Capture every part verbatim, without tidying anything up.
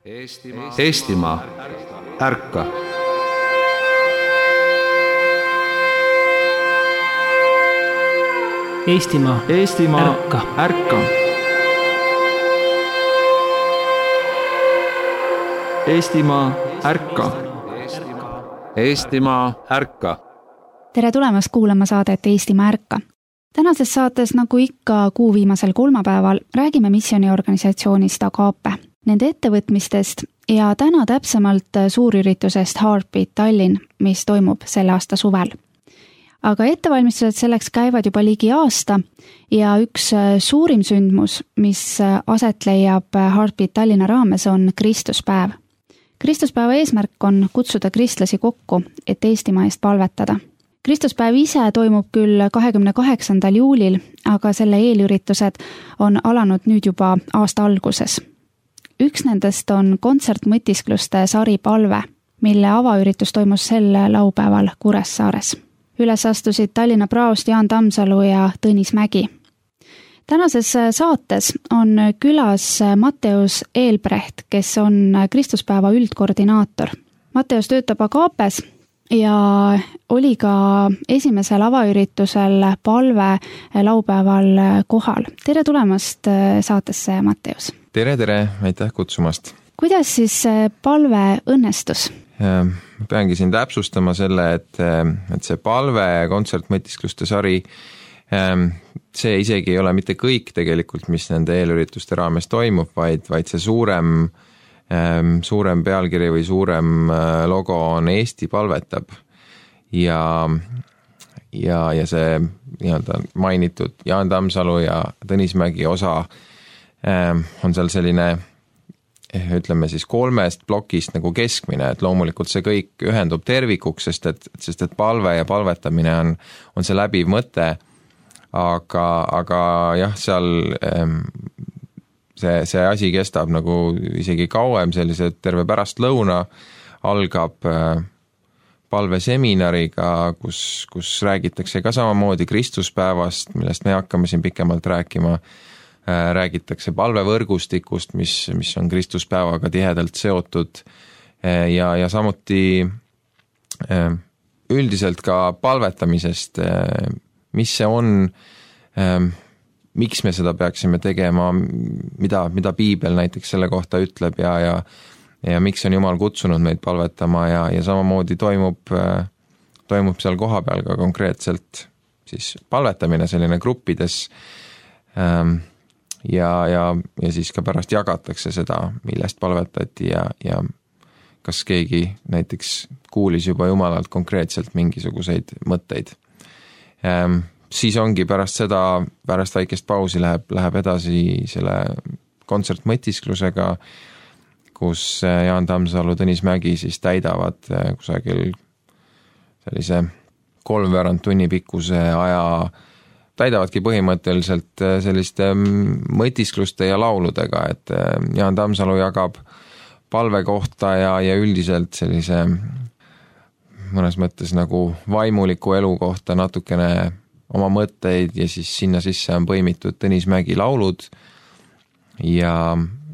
Eestimaa, Eestimaa, ärka! Eestimaa, Eestimaa, ärka! ärka! Eestimaa, ärka! Eestimaa, ärka! Tere tulemast kuulama saadet Eestimaa ärka! Tänases saates, nagu ikka kuu viimasel kolmapäeval, räägime missiooniorganisatsioonist Agape, nende ettevõtmistest ja täna täpsemalt suurüritusest Heartbeat Tallinn, mis toimub selle aasta suvel. Aga ettevalmistused selleks käivad juba ligi aasta ja üks suurim sündmus, mis aset leiab Heartbeat Tallinna raames, on Kristuspäev. Kristuspäeva eesmärk on kutsuda kristlasi kokku, et Eestimaa eest palvetada. Kristuspäev ise toimub küll kahekümne kaheksandal juulil, aga selle eelüritused on alanud nüüd juba aasta alguses. Üks nendest on kontsertmõtiskluste sari Palve, mille avaüritus toimus sel laupäeval Kuressaares. Üles astusid Tallinna praost Jaan Tammsalu ja Tõnis Mägi. Tänases saates on külas Matteus Eelbrecht, kes on Kristuspäeva üldkoordinaator. Matteus töötab Agapes ja oli ka esimesel avaüritusel Palve laupäeval kohal. Tere tulemast saatesse, Matteus! Tere, tere! Aitäh kutsumast! Kuidas siis Palve õnnestus? Ma peangi siin täpsustama selle, et, et see Palve kontsertmõtiskluste sari, see isegi ei ole mitte kõik tegelikult, mis nende eelürituste raames toimub, vaid, vaid see suurem suurem pealkiri või suurem logo on Eesti palvetab ja, ja, ja see nii-öelda mainitud Jaan Tammsalu ja Tõnis Mägi osa on seal selline, ütleme siis kolmest plokist nagu keskmine, et loomulikult see kõik ühendub tervikuks, sest et, sest et palve ja palvetamine on, on see läbiv mõte, aga, aga jah, seal See, see asi kestab nagu isegi kauem, sellise terve pärast lõuna algab palveseminariga, kus, kus räägitakse ka samamoodi Kristuspäevast, millest me hakkame siin pikemalt rääkima. Räägitakse palvevõrgustikust, mis, mis on Kristuspäevaga tihedalt seotud ja, ja samuti üldiselt ka palvetamisest, mis see on, miks me seda peaksime tegema, mida, mida Piibel näiteks selle kohta ütleb ja, ja, ja miks on Jumal kutsunud meid palvetama ja, ja samamoodi toimub, toimub seal kohapeal ka konkreetselt siis palvetamine selline gruppides ja, ja, ja siis ka pärast jagatakse seda, millest palvetati ja, ja kas keegi näiteks kuulis juba Jumalalt konkreetselt mingisuguseid mõtteid. Siis ongi pärast seda, pärast väikest pausi läheb, läheb edasi selle kontsertmõtisklusega, kus Jaan Tammsalu, Tõnis Mägi siis täidavad kusagil sellise kolmveerand tunni pikkuse aja, täidavadki põhimõtteliselt selliste mõtiskluste ja lauludega, et Jaan Tammsalu jagab palve kohta ja, ja üldiselt sellise mõnes mõttes nagu vaimuliku elu kohta natukene oma mõtteid ja siis sinna sisse on põimitud Tõnis Mägi laulud ja,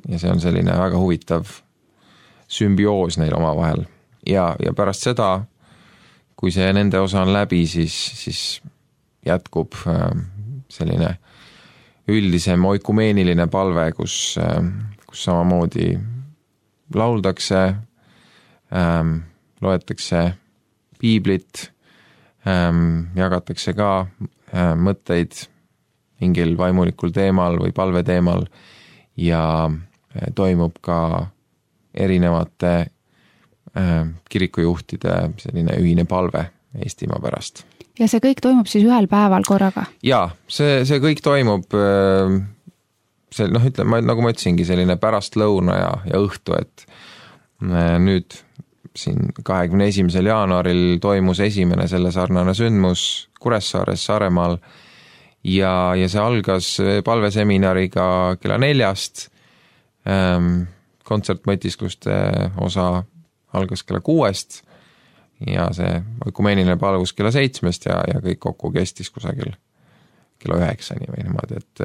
ja see on selline väga huvitav sümbioos neil omavahel. Ja, ja pärast seda, kui see nende osa on läbi, siis, siis jätkub selline üldisem oikumeeniline palve, kus, kus samamoodi lauldakse, loetakse piiblit, jagatakse ka mõtteid mingil vaimulikul teemal või palve teemal ja toimub ka erinevate kirikujuhtide selline ühine palve Eestimaa pärast. Ja see kõik toimub siis ühel päeval korraga? Jaa, see, see kõik toimub, see, noh, ütleme, nagu ma ütlesingi, selline pärast lõuna ja, ja õhtu, et nüüd siin kahekümne esimesel jaanuaril toimus esimene selle sarnane sündmus Kuressaares, Saaremaal ja, ja see algas palveseminariga kella neljast, kontsertmõtiskluste osa algas kella kuuest ja see oikumeeniline palvus kella seitsmest ja, ja kõik kokku kestis kusagil kella üheksani või niimoodi, et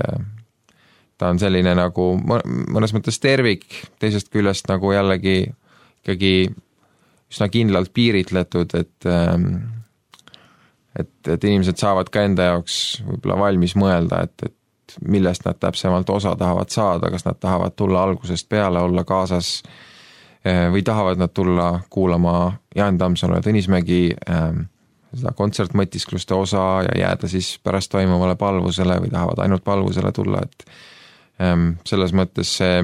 ta on selline nagu mõnes mõttes tervik, teisest küljest nagu jällegi ikkagi üsna kindlalt piiritletud, et, et, et inimesed saavad ka enda jaoks võib-olla valmis mõelda, et, et millest nad täpsemalt osa tahavad saada, kas nad tahavad tulla algusest peale, olla kaasas või tahavad nad tulla kuulama Jaan Tammsalu ja Tõnismägi seda kontsertmõtiskluste osa ja jääda siis pärast toimuvale palvusele või tahavad ainult palvusele tulla, et selles mõttes see,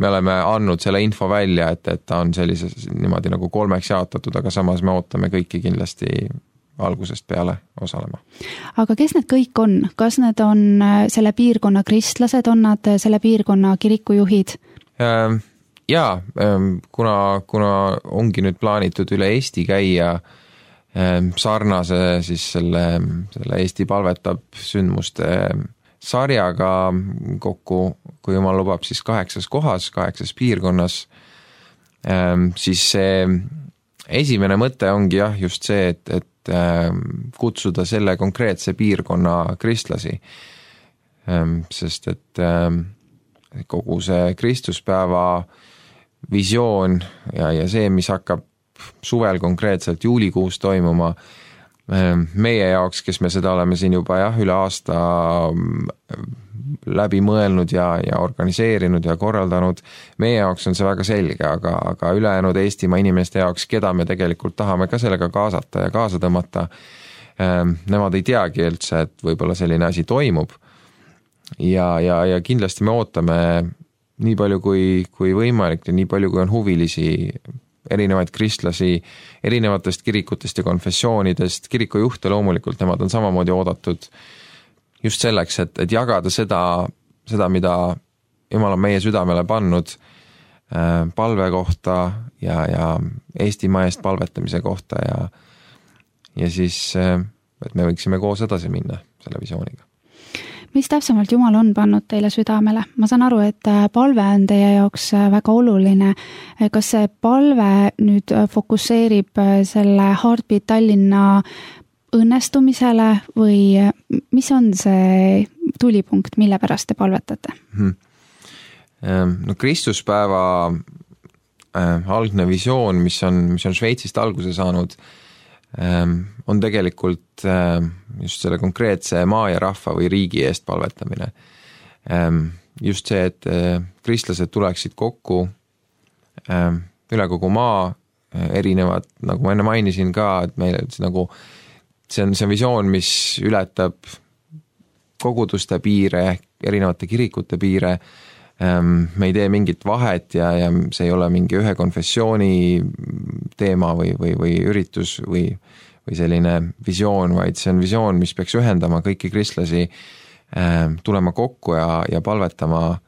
me oleme andnud selle info välja, et, et ta on sellises niimoodi nagu kolmeks jaotatud, aga samas me ootame kõiki kindlasti algusest peale osalema. Aga kes need kõik on? Kas need on selle piirkonna kristlased, on nad selle piirkonna kirikujuhid? Jaa, kuna, kuna ongi nüüd plaanitud üle Eesti käia sarnase siis selle, selle Eesti palvetab sündmuste sarjaga kokku, kui jumal lubab, siis kaheksas kohas, kaheksas piirkonnas, siis see esimene mõte ongi jah just see, et, et kutsuda selle konkreetse piirkonna kristlasi, sest et kogu see Kristuspäeva visioon ja, ja see, mis hakkab suvel konkreetselt juulikuus toimuma, meie jaoks, kes me seda oleme siin juba jah, üle aasta läbi mõelnud ja, ja organiseerinud ja korraldanud, meie jaoks on see väga selge, aga, aga ülejäänud Eestimaa inimeste jaoks, keda me tegelikult tahame ka sellega kaasata ja kaasa tõmmata, nemad ei teagi üldse, et võib-olla selline asi toimub ja, ja, ja kindlasti me ootame nii palju kui, kui võimalik ja nii palju kui on huvilisi erinevaid kristlasi erinevatest kirikutest ja konfessioonidest, kirikujuhte loomulikult, nemad on samamoodi oodatud just selleks, et, et jagada seda, seda, mida Jumal on meie südamele pannud palve kohta ja, ja Eestimaa eest palvetamise kohta ja, ja siis, et me võiksime koos edasi minna selle visiooniga. Mis täpsemalt Jumal on pannud teile südamele? Ma saan aru, et palve on teie jaoks väga oluline. Kas see palve nüüd fokusseerib selle Heartbeat Tallinna õnnestumisele või mis on see tulipunkt, mille pärast te palvetate? No Kristuspäeva algne visioon, mis on, mis on Šveitsist alguse saanud, on tegelikult just selle konkreetse maa ja rahva või riigi eest palvetamine. Just see, et kristlased tuleksid kokku üle kogu maa, erinevad, nagu ma enne mainisin ka, et meil nagu, see on see visioon, mis ületab koguduste piire, erinevate kirikute piire, me ei tee mingit vahet ja, ja see ei ole mingi ühe konfessiooni teema või, või, või üritus või, või selline visioon, vaid see on visioon, mis peaks ühendama kõiki kristlasi, tulema kokku ja, ja palvetama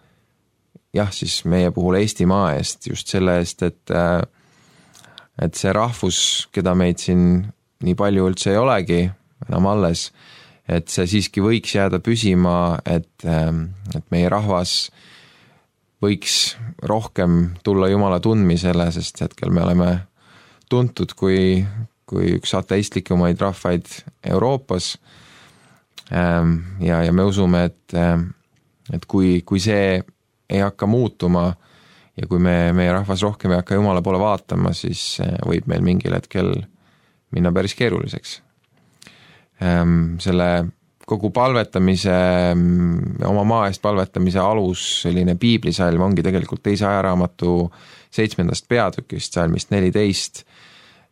jah, siis meie puhul Eestimaa eest, just selle eest, et, et see rahvus, keda meid siin nii palju üldse ei olegi enam alles, et see siiski võiks jääda püsima, et, et meie rahvas võiks rohkem tulla Jumala tundmisele, sest hetkel me oleme tuntud kui, kui üks ateistlikumaid rahvaid Euroopas ja, ja me usume, et, et kui, kui see ei hakka muutuma ja kui me, meie rahvas rohkem ei hakka Jumala poole vaatama, siis võib meil mingil hetkel minna päris keeruliseks. Selle kogu palvetamise, oma maa eest palvetamise alus, selline piiblisalm ongi tegelikult teise ajaraamatu seitsmendast peatükist, salmist neliteist.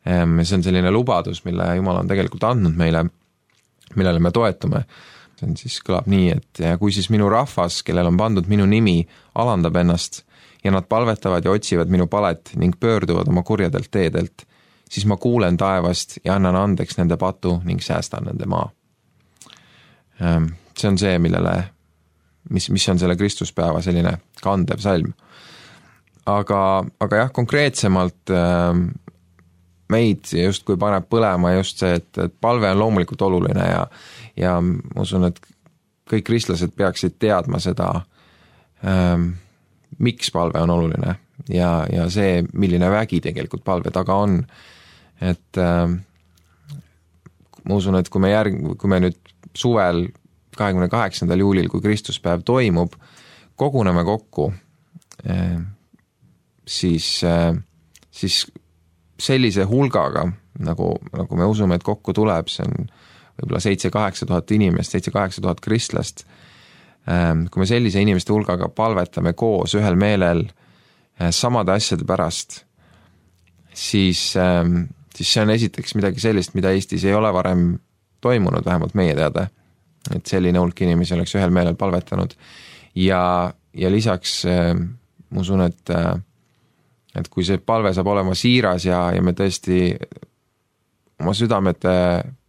See on selline lubadus, mille Jumal on tegelikult andnud meile, millele me toetume. See on siis kõlab nii, et kui siis minu rahvas, kellel on pandud minu nimi, alandab ennast ja nad palvetavad ja otsivad minu palet ning pöörduvad oma kurjadelt teedelt, siis ma kuulen taevast ja annan andeks nende patu ning säästan nende maa. See on see, millele, mis, mis on selle Kristuspäeva selline kandev salm. Aga, aga jah, konkreetsemalt meid just kui paneb põlema just see, et, et palve on loomulikult oluline ja, ja ma usun, et kõik kristlased peaksid teadma seda, ähm, miks palve on oluline ja, ja see, milline vägi tegelikult palve taga on. Et ähm, ma usun, et kui me, järg, kui me nüüd suvel kahekümne kaheksandal juulil, kui Kristuspäev toimub, koguneme kokku, siis, siis sellise hulgaga, nagu, nagu me usume, et kokku tuleb, see on võib-olla seitse-kaheksa tuhat inimest, seitse-kaheksa tuhat kristlast. Kui me sellise inimeste hulgaga palvetame koos ühel meelel samade asjade pärast, siis, siis see on esiteks midagi sellist, mida Eestis ei ole varem toimunud, vähemalt meie teada, et selline hulk inimesi oleks ühel meelel palvetanud. Ja, ja lisaks ma usun, et, et kui see palve saab olema siiras ja, ja me tõesti oma südamete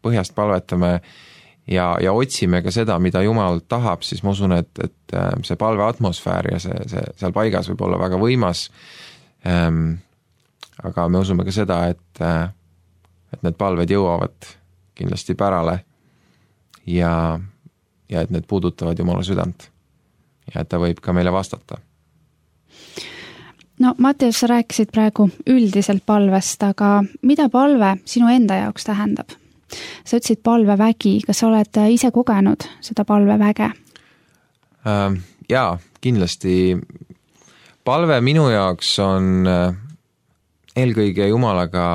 põhjast palvetame ja, ja otsime ka seda, mida Jumal tahab, siis ma usun, et, et see palve atmosfäär ja see, see seal paigas võib olla väga võimas. Ähm, aga me usume ka seda, et, et need palved jõuavad kindlasti pärale ja, ja et need puudutavad Jumala südant ja et ta võib ka meile vastata. No Mattias, sa rääkisid praegu üldiselt palvest, aga mida palve sinu enda jaoks tähendab? Sa ütlesid palvevägi, kas sa oled ise kogenud seda palveväge? Jaa, kindlasti. Palve minu jaoks on eelkõige Jumalaga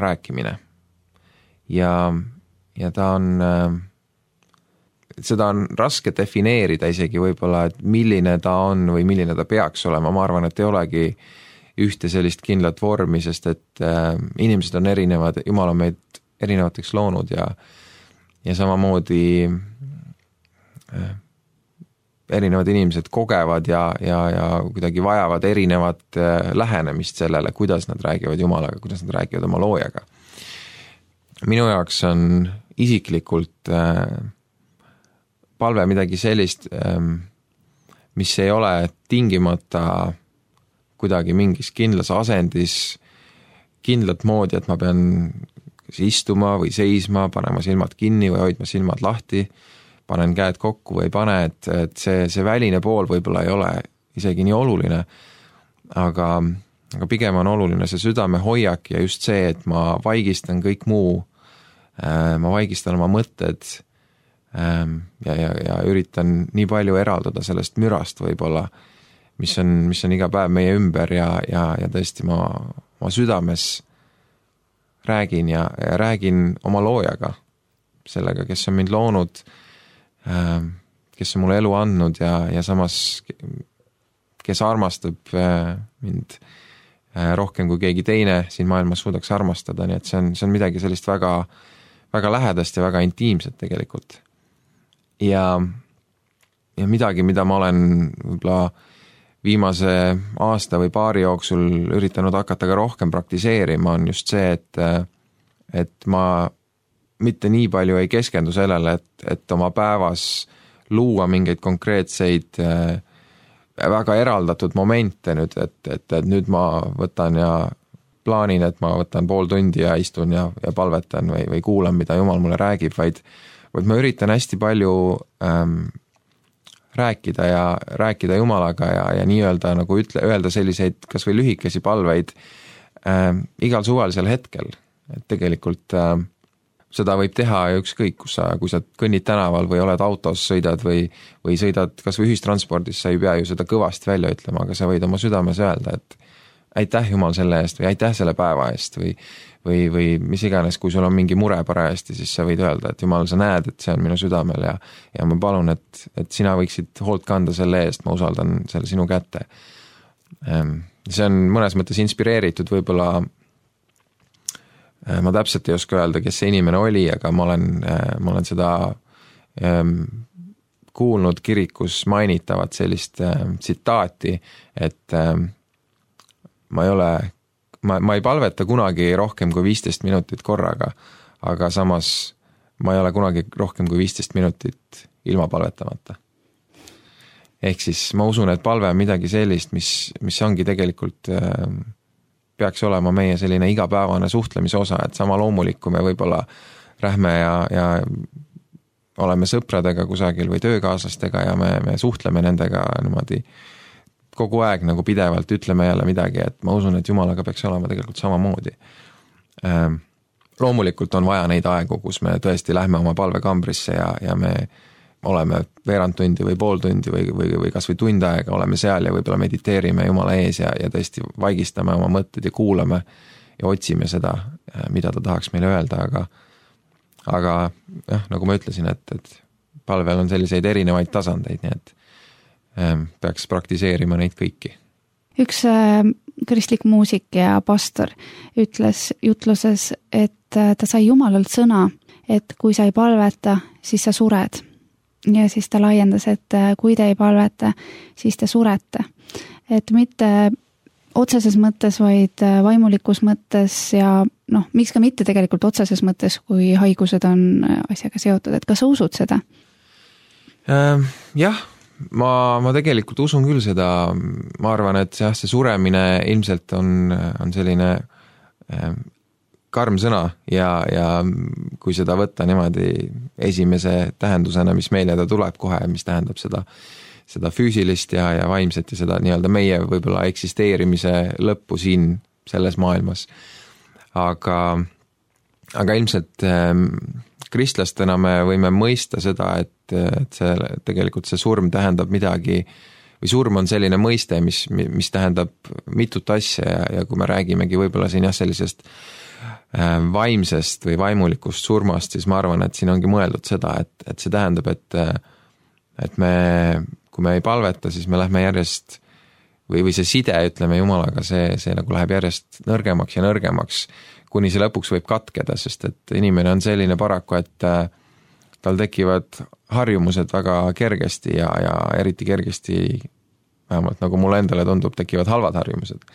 rääkimine. Ja, ja ta on, seda on raske defineerida isegi võib-olla, et milline ta on või milline ta peaks olema. Ma arvan, et ei olegi ühte sellist kindlat vormi, sest et inimesed on erinevad, Jumal on meid erinevateks loonud ja, ja samamoodi erinevad inimesed kogevad ja, ja, ja kuidagi vajavad erinevat lähenemist sellele, kuidas nad räägivad Jumalaga, kuidas nad räägivad oma loojaga. Minu jaoks on isiklikult palve midagi sellist, mis ei ole tingimata kuidagi mingis kindlas asendis, kindlat moodi, et ma pean istuma või seisma, panema silmad kinni või hoidma silmad lahti, panen käed kokku või ei pane, et, et see, see väline pool võib-olla ei ole isegi nii oluline, aga, aga pigem on oluline see südame hoiak ja just see, et ma vaigistan kõik muu, ma vaigistan oma mõtted ja, ja, ja üritan nii palju eraldada sellest mürast võib-olla, mis on, mis on iga päev meie ümber ja, ja, ja tõesti ma, ma südames räägin ja, ja räägin oma loojaga, sellega, kes on mind loonud, kes on mulle elu andnud ja, ja samas, kes armastab mind rohkem kui keegi teine siin maailmas suudaks armastada, nii et see on, see on midagi sellist väga, väga lähedast ja väga intiimset tegelikult. Ja, ja midagi, mida ma olen võib-olla viimase aasta või paari jooksul üritanud hakata ka rohkem praktiseerima, on just see, et, et ma mitte nii palju ei keskendu sellele, et, et oma päevas luua mingeid konkreetseid väga eraldatud momente nüüd, et, et, et nüüd ma võtan ja plaanin, et ma võtan pool tundi ja istun ja, ja palvetan või, või kuulan, mida Jumal mulle räägib, vaid, vaid ma üritan hästi palju ähm, rääkida ja rääkida Jumalaga ja, ja nii-öelda nagu ütle, öelda selliseid kas või lühikesi palveid äh, igal suvalisel hetkel. Et tegelikult äh, seda võib teha ükskõik, kus sa, kui sa kõnnid tänaval või oled autos, sõidad või, või sõidad kas või ühistranspordis, sa ei pea ju seda kõvasti välja ütlema, aga sa võid oma südames öelda, et aitäh Jumal selle eest või aitäh selle päeva eest või, või, või mis iganes, kui sul on mingi mure parajasti, siis sa võid öelda, et Jumal, sa näed, et see on minu südamel ja, ja ma palun, et, et sina võiksid hoolt kanda selle eest, ma usaldan selle sinu kätte. See on mõnes mõttes inspireeritud, võib-olla ma täpselt ei oska öelda, kes see inimene oli, aga ma olen, ma olen seda kuulnud kirikus mainitavat sellist tsitaati, et ma ei ole, ma, ma ei palveta kunagi rohkem kui viisteist minutit korraga, aga samas ma ei ole kunagi rohkem kui viisteist minutit ilma palvetamata. Ehk siis ma usun, et palve on midagi sellist, mis, mis ongi tegelikult peaks olema meie selline igapäevane suhtlemise osa, et sama loomulik, kui me võib-olla rähme ja, ja oleme sõpradega kusagil või töökaaslastega ja me, me suhtleme nendega niimoodi kogu aeg nagu pidevalt ütleme jälle midagi, et ma usun, et Jumalaga peaks olema tegelikult samamoodi. Loomulikult on vaja neid aegu, kus me tõesti lähme oma palvekambrisse ja, ja me oleme veerand tundi või pool tundi või, või, või kas või tund aega oleme seal ja võib-olla mediteerime Jumala ees ja, ja tõesti vaigistame oma mõtted ja kuulame ja otsime seda, mida ta tahaks meile öelda, aga aga jah, nagu ma ütlesin, et, et palvel on selliseid erinevaid tasandeid, nii et ähm, peaks praktiseerima neid kõiki. Üks äh, kristlik muusik ja pastor ütles jutluses, et äh, ta sai Jumalalt sõna, et kui sa ei palveta, siis sa sured. Ja siis ta laiendas, et äh, kui te ei palveta, siis te surete. Et mitte otseses mõttes, vaid äh, vaimulikus mõttes ja noh, miks ka mitte tegelikult otseses mõttes, kui haigused on asjaga seotud. Et kas sa usud seda? Ähm, jah. Ma, ma tegelikult usun küll seda, ma arvan, et jah, see suremine ilmselt on, on selline äh, karm sõna ja, ja kui seda võtta niimoodi esimese tähendusena, mis meile ta tuleb kohe, mis tähendab seda, seda füüsilist ja, ja vaimset ja seda nii-öelda meie võib-olla eksisteerimise lõppu siin selles maailmas. Aga, aga ilmselt äh, kristlastena me võime mõista seda, et, et see, tegelikult see surm tähendab midagi, või surm on selline mõiste, mis, mis tähendab mitut asja ja, ja kui me räägimegi võib-olla siin jah, sellisest äh, vaimsest või vaimulikust surmast, siis ma arvan, et siin ongi mõeldud seda, et, et see tähendab, et, et me, kui me ei palveta, siis me lähme järjest, või, või see side, ütleme Jumalaga, see, see nagu läheb järjest nõrgemaks ja nõrgemaks, kuni see lõpuks võib katkeda, sest et inimene on selline paraku, et tal tekivad harjumused väga kergesti ja, ja eriti kergesti, vähemalt nagu mulle endale tundub, tekivad halvad harjumused.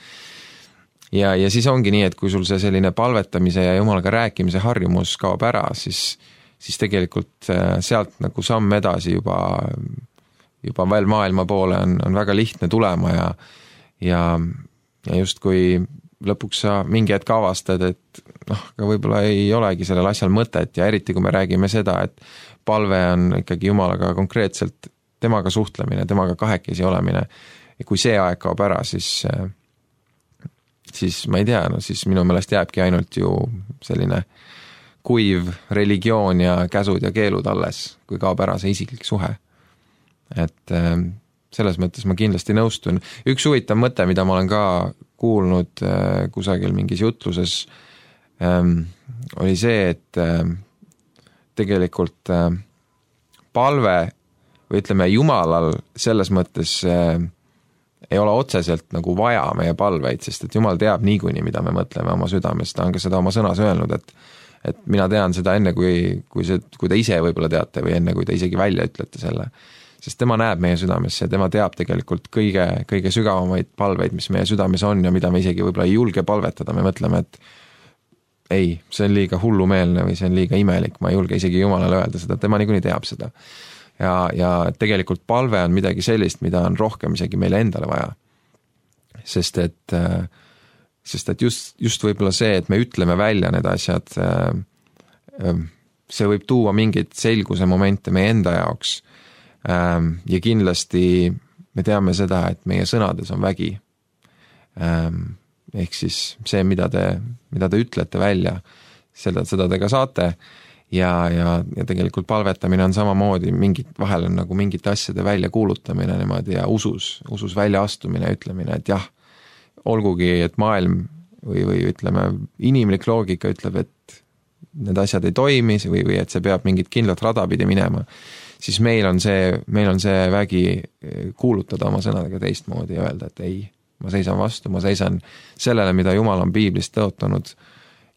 Ja, ja siis ongi nii, et kui sul see selline palvetamise ja Jumalaga rääkimise harjumus kaob ära, siis, siis tegelikult sealt nagu samm edasi juba, juba veel maailma poole on, on väga lihtne tulema ja, ja, ja just kui lõpuks sa mingi hetk avastad, et noh, aga võib-olla ei olegi sellel asjal mõtet ja eriti kui me räägime seda, et palve on ikkagi Jumalaga konkreetselt temaga suhtlemine, temaga kahekesi olemine ja kui see aeg kaob ära, siis siis ma ei tea, no siis minu meelest jääbki ainult ju selline kuiv religioon ja käsud ja keelud alles, kui kaob ära see isiklik suhe. Et selles mõttes ma kindlasti nõustun. Üks huvitav mõte, mida ma olen ka kuulnud äh, kusagil mingis jutluses, ähm, oli see, et äh, tegelikult äh, palve või ütleme Jumalal selles mõttes äh, ei ole otseselt nagu vaja meie palveid, sest et Jumal teab niikuinii, mida me mõtleme oma südames, ta on ka seda oma sõnas öelnud, et, et mina tean seda enne, kui, kui, see, kui te ise võib-olla teate või enne, kui te isegi välja ütlete selle. Sest tema näeb meie südamesse ja tema teab tegelikult kõige, kõige sügavamaid palveid, mis meie südames on ja mida me isegi võib-olla ei julge palvetada, me mõtleme, et ei, see on liiga hullumeelne või see on liiga imelik, ma ei julge isegi Jumalale öelda seda, tema niikuinii teab seda. Ja, ja tegelikult palve on midagi sellist, mida on rohkem isegi meile endale vaja. Sest et, sest et just, just võib-olla see, et me ütleme välja need asjad, see võib tuua mingid selguse momente meie enda jaoks. Ja kindlasti me teame seda, et meie sõnades on vägi. Ehk siis see, mida te, mida te ütlete välja, seda, seda te ka saate ja, ja, ja tegelikult palvetamine on samamoodi, mingid, vahel on nagu mingite asjade välja kuulutamine niimoodi ja usus, usus välja astumine ja ütlemine, et jah, olgugi, et maailm või, või ütleme, inimlik loogika ütleb, et need asjad ei toimi või, või et see peab mingit kindlat rada pidi minema, siis meil on see, meil on see vägi kuulutada oma sõnadega teistmoodi ja öelda, et ei, ma seisan vastu, ma seisan sellele, mida Jumal on piiblist tõotanud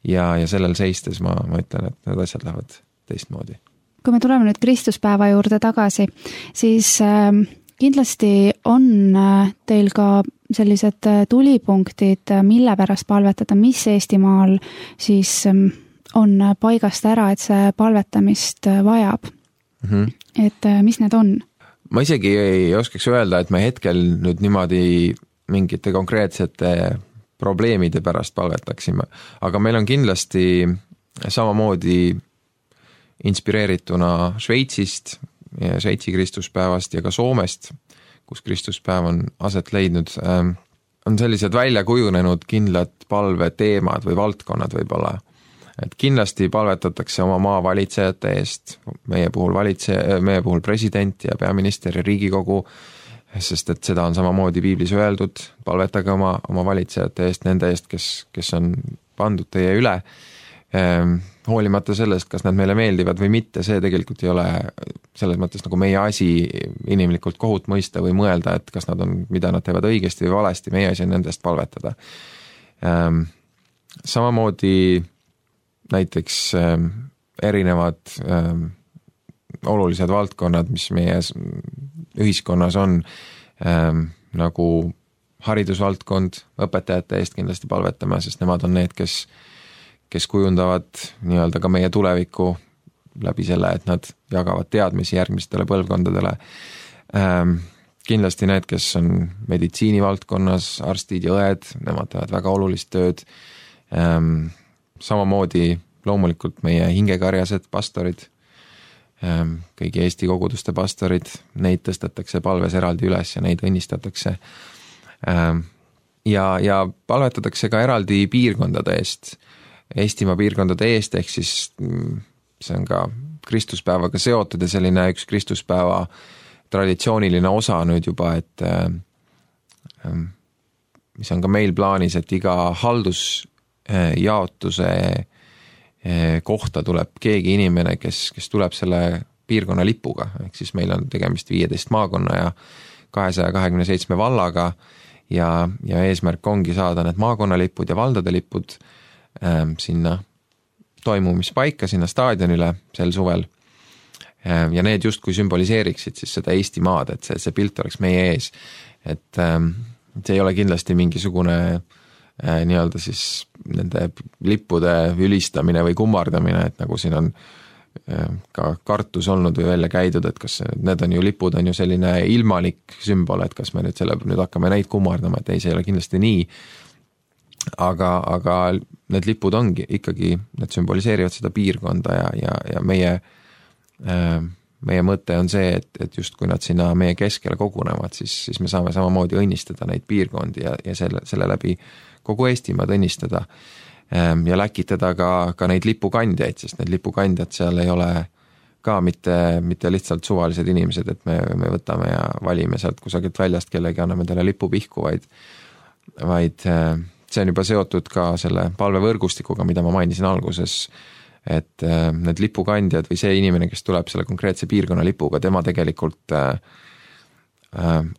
ja, ja sellel seistes ma, ma ütlen, et need asjad lähevad teistmoodi. Kui me tuleme nüüd Kristuspäeva juurde tagasi, siis äh, kindlasti on äh, teil ka sellised äh, tulipunktid, mille pärast palvetada, mis Eestimaal siis äh, on paigast ära, et see palvetamist äh, vajab. Mm-hmm. Et mis need on? Ma isegi ei oskaks öelda, et me hetkel nüüd niimoodi mingite konkreetsete probleemide pärast palvetaksime, aga meil on kindlasti samamoodi inspireerituna Šveitsist, Šveitsi Kristuspäevast ja ka Soomest, kus Kristuspäev on aset leidnud, on sellised välja kujunenud kindlad palveteemad või valdkonnad võib-olla. et kindlasti palvetatakse oma maa valitsejate eest, meie puhul valitseja, meie puhul president ja peaminister ja Riigikogu, sest et seda on samamoodi piiblis öeldud, palvetage oma, oma valitsejate eest, nende eest, kes, kes on pandud teie üle, ehm, hoolimata sellest, kas nad meile meeldivad või mitte, see tegelikult ei ole selles mõttes nagu meie asi inimlikult kohut mõista või mõelda, et kas nad on, mida nad teevad õigesti või valesti, meie asi on nendest palvetada. Ehm, samamoodi näiteks ehm, erinevad ehm, olulised valdkonnad, mis meie ühiskonnas on, ehm, nagu haridusvaldkond, õpetajate eest kindlasti palvetame, sest nemad on need, kes kes kujundavad nii-öelda ka meie tulevikku läbi selle, et nad jagavad teadmisi järgmistele põlvkondadele. Ähm, kindlasti need, kes on meditsiinivaldkonnas, arstid ja õed, nemad teevad väga olulist tööd. Ähm, samamoodi loomulikult meie hingekarjased pastorid, ähm, kõigi Eesti koguduste pastorid, neid tõstetakse palves eraldi üles ja neid õnnistatakse. Ähm, ja, ja palvetatakse ka eraldi piirkondade eest, Eestimaa piirkondade eest, ehk siis see on ka Kristuspäevaga seotud ja selline üks Kristuspäeva traditsiooniline osa nüüd juba, et mis on ka meil plaanis, et iga haldusjaotuse kohta tuleb keegi inimene, kes, kes tuleb selle piirkonna lipuga, ehk siis meil on tegemist viieteist maakonna ja kahesaja kahekümne seitsme vallaga ja, ja eesmärk ongi saada need maakonnalipud ja valdade lipud sinna toimumispaika, sinna staadionile sel suvel. Ja need justkui sümboliseeriksid siis seda Eesti maad, et see, see pilt oleks meie ees. Et see ei ole kindlasti mingisugune nii-öelda siis nende lippude ülistamine või kummardamine, et nagu siin on ka kartus olnud või välja käidud, et kas need on ju lipud, on ju selline ilmalik sümbol, et kas me nüüd selle, nüüd hakkame neid kummardama, et ei, see ei ole kindlasti nii. Aga, aga need lipud ongi ikkagi, need sümboliseerivad seda piirkonda ja, ja, ja meie, meie mõte on see, et, et just kui nad sinna meie keskele kogunevad, siis, siis me saame samamoodi õnnistada neid piirkondi ja, ja selle, selle läbi kogu Eestimaad õnnistada ja läkitada ka, ka neid lipukandjaid, sest need lipukandjad seal ei ole ka mitte, mitte lihtsalt suvalised inimesed, et me, me võtame ja valime sealt kusagilt väljast kellegi, anname talle lipupihku, vaid, vaid see on juba seotud ka selle palvevõrgustikuga, mida ma mainisin alguses, et need lipukandjad või see inimene, kes tuleb selle konkreetse piirkonna lipuga, tema tegelikult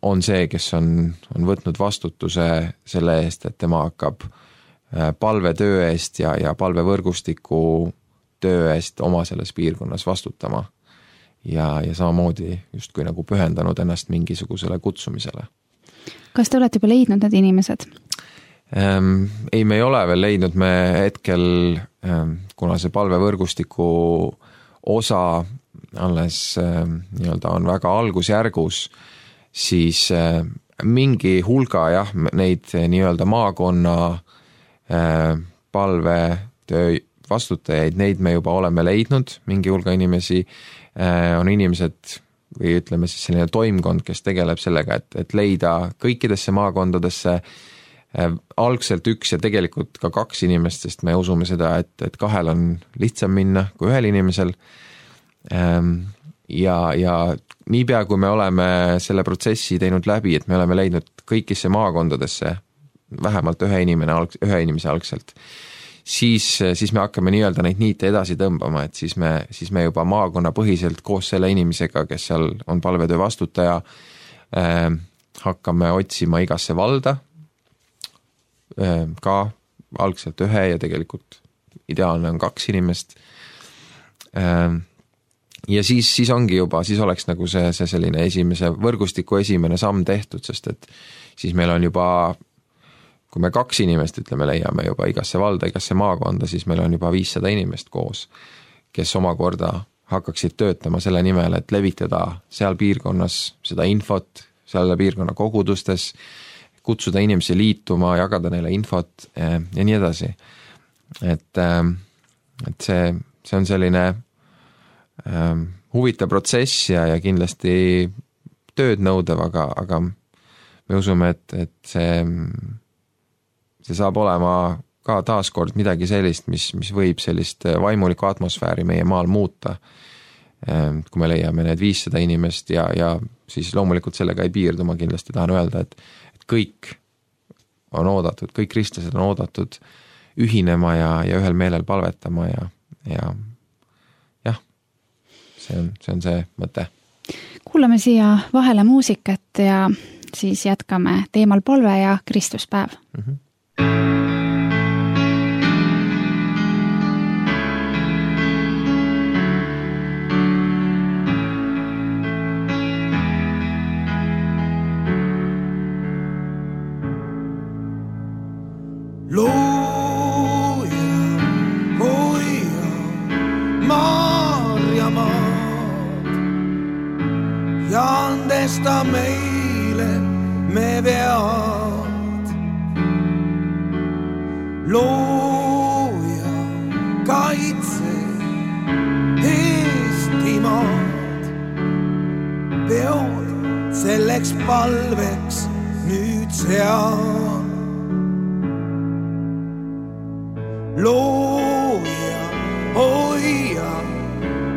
on see, kes on, on võtnud vastutuse selle eest, et tema hakkab palvetöö eest ja, ja palvevõrgustiku töö eest oma selles piirkonnas vastutama ja, ja samamoodi justkui nagu pühendanud ennast mingisugusele kutsumisele. Kas te olete juba leidnud need inimesed? Ähm, ei, me ei ole veel leidnud, me hetkel, ähm, kuna see palvevõrgustiku osa alles ähm, nii-öelda on väga algusjärgus, siis äh, mingi hulga jah, neid nii-öelda maakonna äh, palvetöö vastutajaid, neid me juba oleme leidnud, mingi hulga inimesi äh, on inimesed või ütleme siis selline toimkond, kes tegeleb sellega, et, et leida kõikidesse maakondadesse algselt üks ja tegelikult ka kaks inimest, sest me usume seda, et, et kahel on lihtsam minna kui ühel inimesel. Ja, ja niipea, kui me oleme selle protsessi teinud läbi, et me oleme leidnud kõikisse maakondadesse vähemalt ühe, inimene, ühe inimese algselt, siis, siis me hakkame nii-öelda neid niite edasi tõmbama, et siis me, siis me juba maakonna põhiselt koos selle inimesega, kes seal on palvetöö vastutaja, hakkame otsima igasse valda, ka algselt ühe ja tegelikult ideaalne on kaks inimest. Ja siis, siis ongi juba, siis oleks nagu see, see selline esimese võrgustiku esimene samm tehtud, sest et siis meil on juba, kui me kaks inimest, ütleme, leiame juba igasse valda, igasse maakonda, siis meil on juba viissada inimest koos, kes omakorda hakkaksid töötama selle nimel, et levitada seal piirkonnas seda infot, selle piirkonna kogudustes, kutsuda inimesi liituma, jagada neile infot ja nii edasi. Et, et see, see on selline huvitav protsess ja, ja kindlasti tööd nõudev, aga, aga me usume, et, et see, see saab olema ka taaskord midagi sellist, mis, mis võib sellist vaimulikku atmosfääri meie maal muuta. Kui me leiame need viissada inimest ja, ja siis loomulikult sellega ei piirdu, ma kindlasti tahan öelda, et, et kõik on oodatud, kõik kristlased on oodatud ühinema ja, ja ühel meelel palvetama ja, ja jah, see on, see on see mõte. Kuulame siia vahele muusikat ja siis jätkame teemal palve ja Kristuspäev. Mm-hmm. Looja, hoia, Maarjamaad ja andesta meile me vead. Looja, kaitse Eestimaad, peod selleks palveks nüüd sean. Looja, hoia,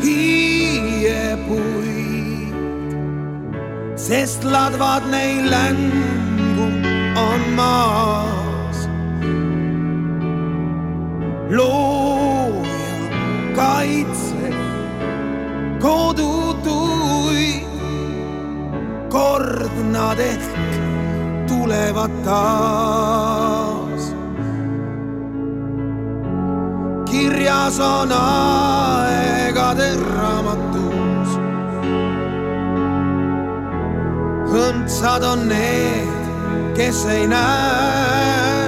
hiiepuid, sest ladvad neil längu on maas. Looja, kaitse kodutuid, kord nad ehk tulevad taas. Kirjas on aegade raamatus, õndsad on need, kes ei näe,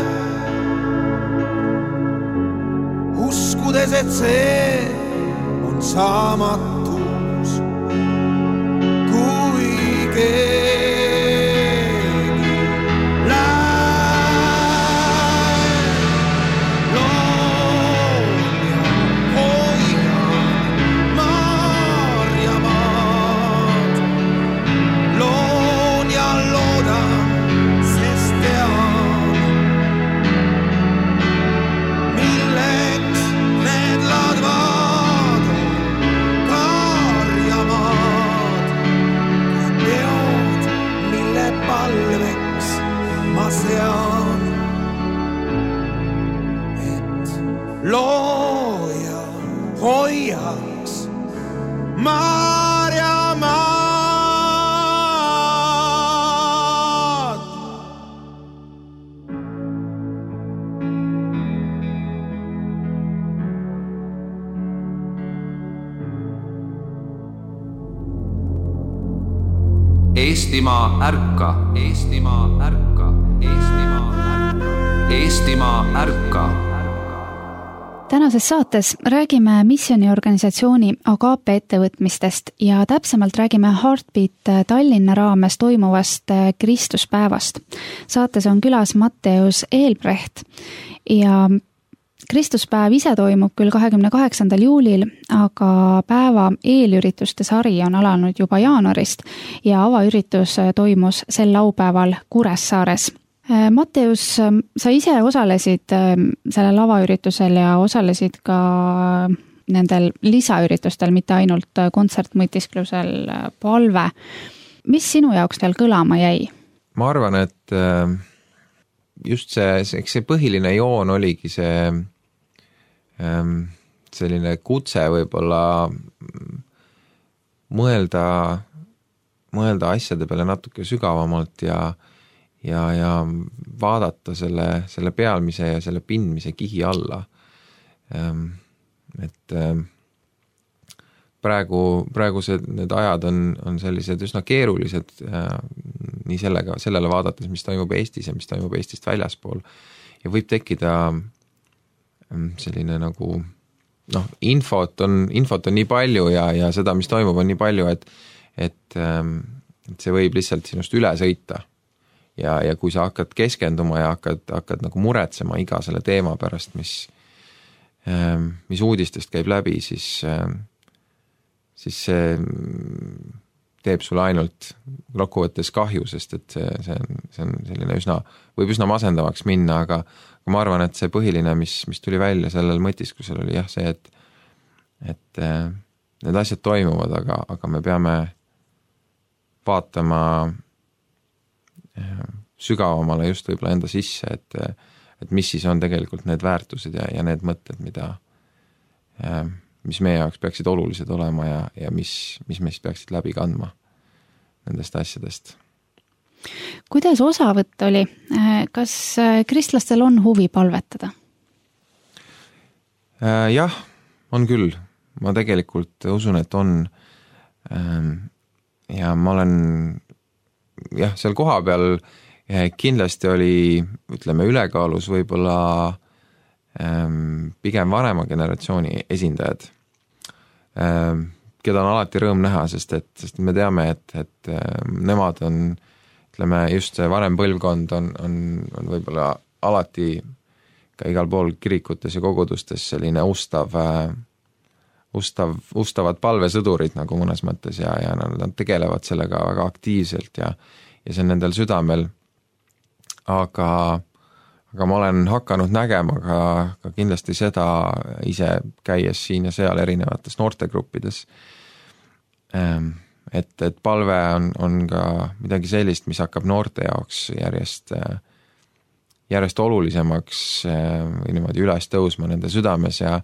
uskudes, et see on saamatus, kui keegi sean, et looja hoiaks Maarjamaad. Eestimaa ärka, Eestimaa ärka. Eestimaa ärka. Eestimaa ärka. Tänases saates räägime missioniorganisatsiooni Agape ettevõtmistest ja täpsemalt räägime Heartbeat Tallinna raames toimuvast Kristuspäevast. Saates on külas Matteus Eelbrecht ja Kristuspäev ise toimub küll kahekümne kaheksandal juulil, aga päeva eelürituste sari on alanud juba jaanuarist ja avaüritus toimus sel laupäeval Kuressaares. Matteus, sa ise osalesid selle lavaüritusel ja osalesid ka nendel lisaüritustel, mitte ainult kontsertmõtisklusel palve. Mis sinu jaoks teil kõlama jäi? Ma arvan, et just see, eks see põhiline joon oligi see selline kutse võib-olla mõelda, mõelda asjade peale natuke sügavamalt ja ja, ja vaadata selle, selle pealmise ja selle pindmise kihi alla. Et praegu, praegu see, need ajad on, on sellised üsna keerulised nii sellega, sellele vaadates, mis toimub Eestis ja mis toimub Eestist väljaspool. Ja võib tekkida selline nagu, noh, infot on, infot on nii palju ja, ja seda, mis toimub, on nii palju, et, et, et see võib lihtsalt sinust üle sõita. Ja, ja kui sa hakkad keskenduma ja hakkad, hakkad nagu muretsema iga selle teema pärast, mis, mis uudistest käib läbi, siis, siis see teeb sulle ainult kokkuvõttes kahju, sest et see, see, on, see on selline üsna, võib üsna masendavaks minna, aga, aga ma arvan, et see põhiline, mis, mis tuli välja sellel mõtiskusel oli jah see, et, et need asjad toimuvad, aga, aga me peame vaatama sügavamale just võib-olla enda sisse, et, et mis siis on tegelikult need väärtused ja, ja need mõtted, mida mis meie jaoks peaksid olulised olema ja, ja mis, mis meist peaksid läbi kandma nendest asjadest. Kuidas osavõtt oli? Kas kristlastel on huvi palvetada? Jah, on küll. Ma tegelikult usun, et on. Ja ma olen jah, seal koha peal kindlasti oli, ütleme, ülekaalus võib-olla pigem vanema generatsiooni esindajad, keda on alati rõõm näha, sest et, sest me teame, et, et nemad on, ütleme, just see vanem põlvkond on, on, on võib-olla alati ka igal pool kirikutes ja kogudustes selline ustav, ustav, ustavad palvesõdurid nagu mõnes mõttes ja, ja nad tegelevad sellega väga aktiivselt ja, ja see on nendel südamel, aga aga ma olen hakanud nägema ka, ka kindlasti seda ise käies siin ja seal erinevates noortegruppides, et, et palve on, on ka midagi sellist, mis hakkab noorte jaoks järjest, järjest olulisemaks või niimoodi üles tõusma nende südames ja,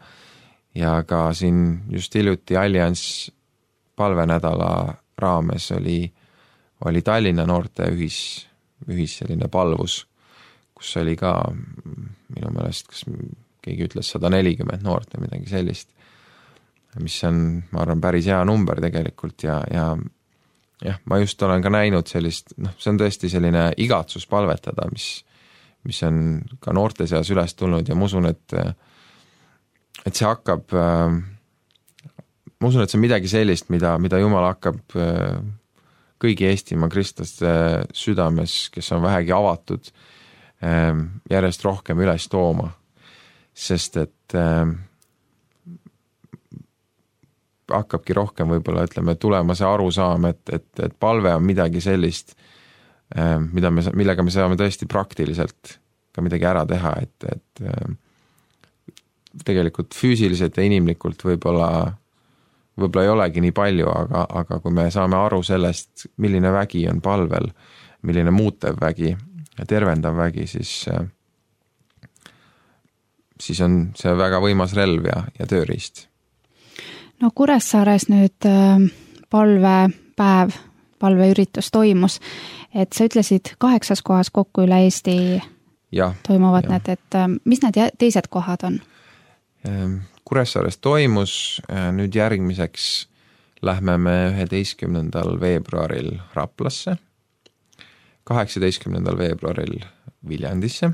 ja ka siin just hiljuti Allianz palvenädala raames oli, oli Tallinna noorte ühis, ühis selline palvus, kus oli ka minu meelest, kas keegi ütles sada nelikümmend noort või midagi sellist, mis on, ma arvan, päris hea number tegelikult ja, ja jah, ma just olen ka näinud sellist, noh, see on tõesti selline igatsus palvetada, mis, mis on ka noorte seas üles tulnud ja ma usun, et, et see hakkab, ma usun, et see on midagi sellist, mida, mida Jumal hakkab kõigi Eestimaa kristlaste südames, kes on vähegi avatud, järjest rohkem üles tooma, sest et äh, hakkabki rohkem võib-olla, ütleme, tulema see arusaam, et, et, et palve on midagi sellist, äh, mida me, millega me saame tõesti praktiliselt ka midagi ära teha, et, et äh, tegelikult füüsiliselt ja inimlikult võib-olla, võib-olla ei olegi nii palju, aga, aga kui me saame aru sellest, milline vägi on palvel, milline muutev vägi, ja tervendav vägi, siis, siis on see väga võimas relv ja, ja tööriist. No Kuressaares nüüd palvepäev, palveüritus toimus, et sa ütlesid kaheksas kohas kokku üle Eesti ja, toimuvad ja. Need, et mis need teised kohad on? Kuressaares toimus, nüüd järgmiseks lähme me üheteistkümnendal veebruaril Raplasse, kaheksateistkümnendal veebruaril Viljandisse,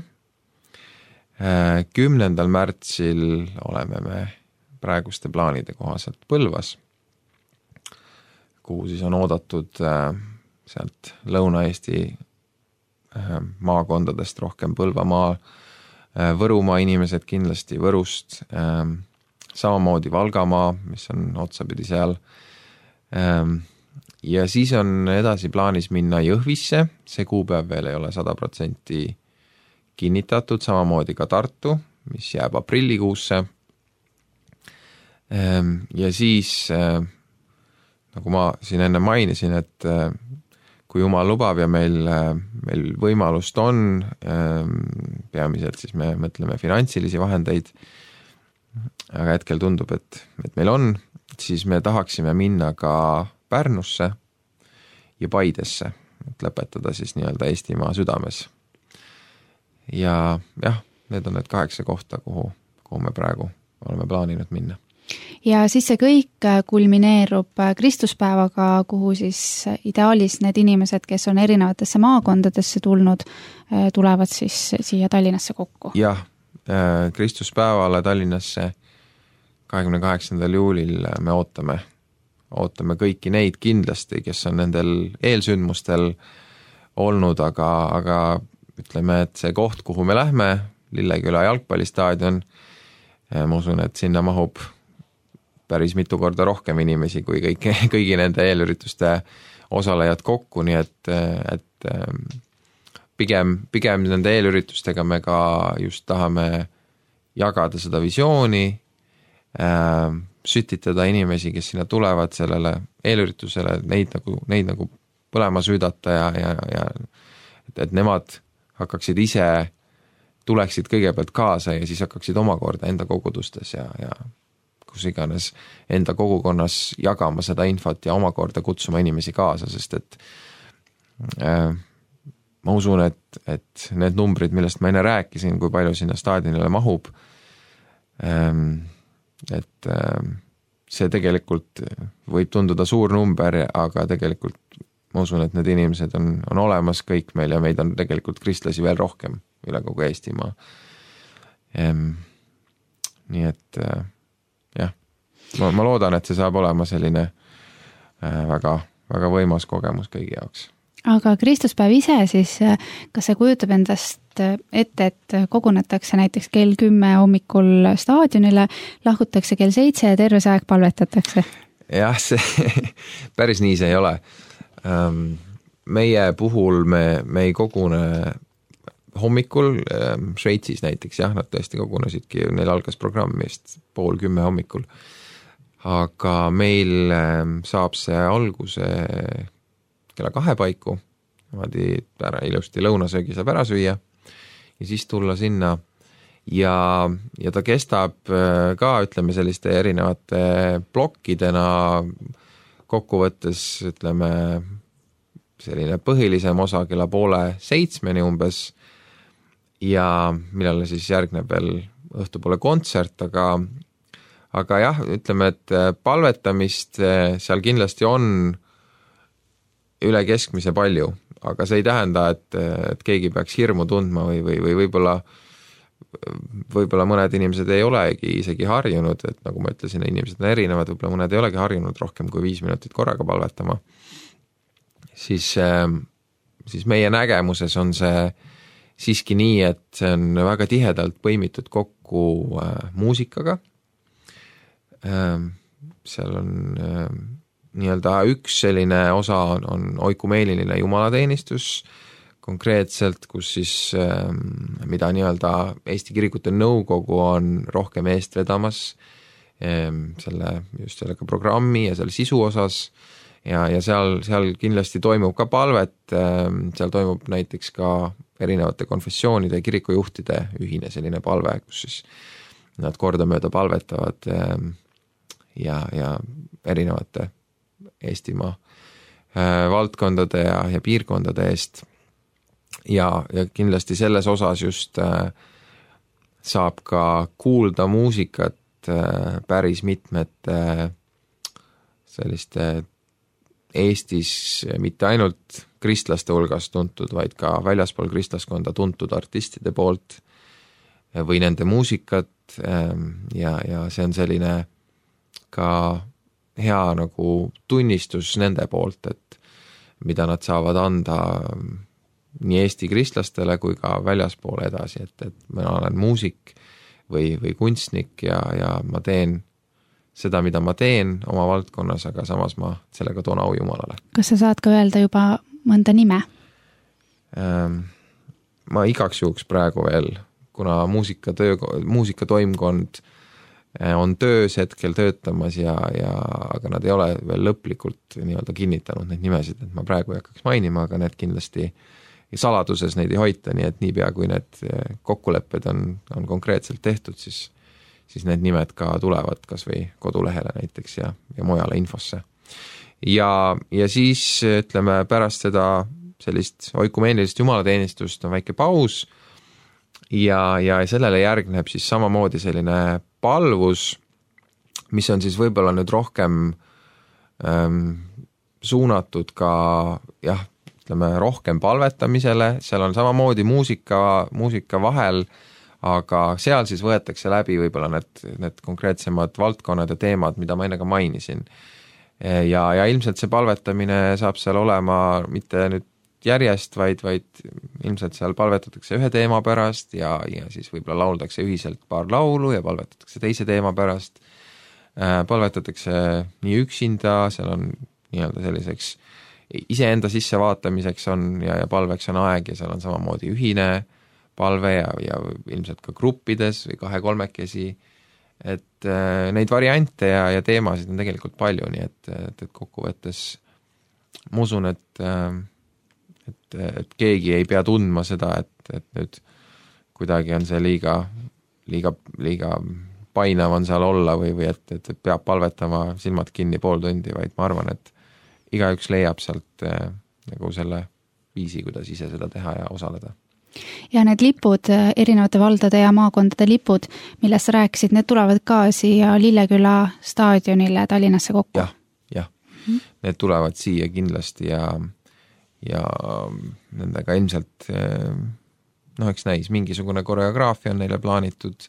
kümnendal märtsil oleme me praeguste plaanide kohaselt Põlvas, kuhu siis on oodatud sealt Lõuna-Eesti maakondadest rohkem Põlvamaa, Võrumaa inimesed kindlasti Võrust, samamoodi Valgamaa, mis on otsapidi seal, ja siis on edasi plaanis minna Jõhvisse, see kuupäev veel ei ole sada protsenti kinnitatud, samamoodi ka Tartu, mis jääb aprillikuusse. Ja siis, nagu ma siin enne mainisin, et kui Jumal lubab ja meil, meil võimalust on, peamiselt siis me mõtleme finantsilisi vahendeid, aga hetkel tundub, et, et meil on, siis me tahaksime minna ka Pärnusse ja Paidesse, et lõpetada siis nii-öelda Eestimaa südames. Ja jah, need on need kaheksa kohta, kuhu, kuhu me praegu oleme plaaninud minna. Ja siis see kõik kulmineerub Kristuspäevaga, kuhu siis ideaalis need inimesed, kes on erinevatesse maakondadesse tulnud, tulevad siis siia Tallinnasse kokku. Jah, Kristuspäevale Tallinnasse kahekümne kaheksandal juulil me ootame ootame kõiki neid kindlasti, kes on nendel eelsündmustel olnud, aga, aga ütleme, et see koht, kuhu me lähme, Lilleküla jalgpallistaadion, ma usun, et sinna mahub päris mitu korda rohkem inimesi kui kõik, kõigi nende eelürituste osalejad kokku, nii et, et pigem, pigem nende eelüritustega me ka just tahame jagada seda visiooni, äh, sütitada inimesi, kes sinna tulevad sellele eelüritusele, neid nagu, neid nagu põlema süüdata ja, ja, ja et, et nemad hakkaksid ise, tuleksid kõigepealt kaasa ja siis hakkaksid omakorda enda kogudustes ja, ja kus iganes enda kogukonnas jagama seda infot ja omakorda kutsuma inimesi kaasa, sest et äh, ma usun, et, et need numbrid, millest ma enne rääkisin, kui palju sinna staadionile mahub, ähm, et ähm, see tegelikult võib tunduda suur number, aga tegelikult ma usun, et need inimesed on, on olemas kõik meil ja meid on tegelikult kristlasi veel rohkem üle kogu Eestimaa. Ähm, nii et äh, jah, ma, ma loodan, et see saab olema selline äh, väga, väga võimas kogemus kõigi jaoks. Aga Kristuspäev ise siis, kas see kujutab endast ette, et kogunetakse näiteks kell kümme hommikul staadionile, lahkutakse kell seitse ja terve see aeg palvetatakse? Jah, see päris nii see ei ole. Meie puhul me, me ei kogune hommikul, Šveitsis näiteks, jah, nad tõesti kogunesidki, neil algas programmist pool kümme hommikul. Aga meil saab see alguse kella kahe paiku, niimoodi ära ilusti lõunasöögi saab ära süüa ja siis tulla sinna ja, ja ta kestab ka, ütleme, selliste erinevate plokkidena kokkuvõttes, ütleme, selline põhilisem osa kella poole seitsmeni umbes ja millele siis järgneb veel õhtupoole kontsert, aga, aga jah, ütleme, et palvetamist seal kindlasti on üle keskmise palju, aga see ei tähenda, et, et keegi peaks hirmu tundma või, või, või võib-olla, võib-olla mõned inimesed ei olegi isegi harjunud, et nagu ma ütlesin, inimesed on erinevad, võib-olla mõned ei olegi harjunud rohkem kui viis minutit korraga palvetama, siis, siis meie nägemuses on see siiski nii, et see on väga tihedalt põimitud kokku muusikaga, seal on nii-öelda üks selline osa on, on oikumeeliline jumalateenistus konkreetselt, kus siis mida nii-öelda Eesti Kirikute Nõukogu on rohkem eest vedamas selle, just sellega programmi ja selle sisu osas ja, ja seal, seal kindlasti toimub ka palvet, seal toimub näiteks ka erinevate konfessioonide ja kirikujuhtide ühine selline palve, kus siis nad kordamööda palvetavad ja, ja erinevate Eestimaa äh, valdkondade ja, ja piirkondade eest ja, ja kindlasti selles osas just äh, saab ka kuulda muusikat äh, päris mitmete äh, selliste Eestis mitte ainult kristlaste hulgas tuntud, vaid ka väljaspool kristlaskonda tuntud artistide poolt äh, või nende muusikat äh, ja, ja see on selline ka hea nagu tunnistus nende poolt, et mida nad saavad anda nii Eesti kristlastele kui ka väljaspoole edasi, et, et mina olen muusik või, või kunstnik ja, ja ma teen seda, mida ma teen oma valdkonnas, aga samas ma sellega toon au Jumalale. Kas sa saad ka öelda juba mõnda nime? Ma igaks juhuks praegu veel, kuna muusikatöö, muusikatoimkond on töös hetkel töötamas ja, ja aga nad ei ole veel lõplikult nii-öelda kinnitanud neid nimesid, et ma praegu ei hakkaks mainima, aga need kindlasti saladuses neid ei hoita, nii et niipea kui need kokkulepped on, on konkreetselt tehtud, siis, siis need nimed ka tulevad kas või kodulehele näiteks ja, ja mujale infosse. Ja, ja siis ütleme pärast seda sellist oikumeenilist jumalateenistust on väike paus ja, ja sellele järgneb siis samamoodi selline palvus, mis on siis võib-olla nüüd rohkem ähm, suunatud ka jah, ütleme rohkem palvetamisele, seal on samamoodi muusika, muusika vahel, aga seal siis võetakse läbi võib-olla need, need konkreetsemad valdkonnad ja teemad, mida ma enne ka mainisin. Ja, ja ilmselt see palvetamine saab seal olema mitte nüüd järjest, vaid, vaid ilmselt seal palvetatakse ühe teema pärast ja, ja siis võib-olla lauldakse ühiselt paar laulu ja palvetatakse teise teema pärast. Palvetatakse nii üksinda, seal on nii-öelda selliseks iseenda sisse vaatamiseks on ja, ja palveks on aeg ja seal on samamoodi ühine palve ja, ja ilmselt ka gruppides või kahe-kolmekesi, et äh, neid variante ja, ja teemasid on tegelikult palju, nii et, et, et kokkuvõttes ma usun, et, et, et keegi ei pea tundma seda, et, et nüüd kuidagi on see liiga, liiga, liiga painav on seal olla või, või et, et peab palvetama silmad kinni pool tundi, vaid ma arvan, et igaüks leiab sealt äh, nagu selle viisi, kuidas ise seda teha ja osaleda. Ja need lipud, erinevate valdade ja maakondade lipud, millest sa rääkisid, need tulevad ka siia Lilleküla staadionile Tallinnasse kokku? Jah, jah. Mm-hmm. Need tulevad siia kindlasti ja, ja nendega ilmselt noh, eks näis, mingisugune koreograafia on neile plaanitud,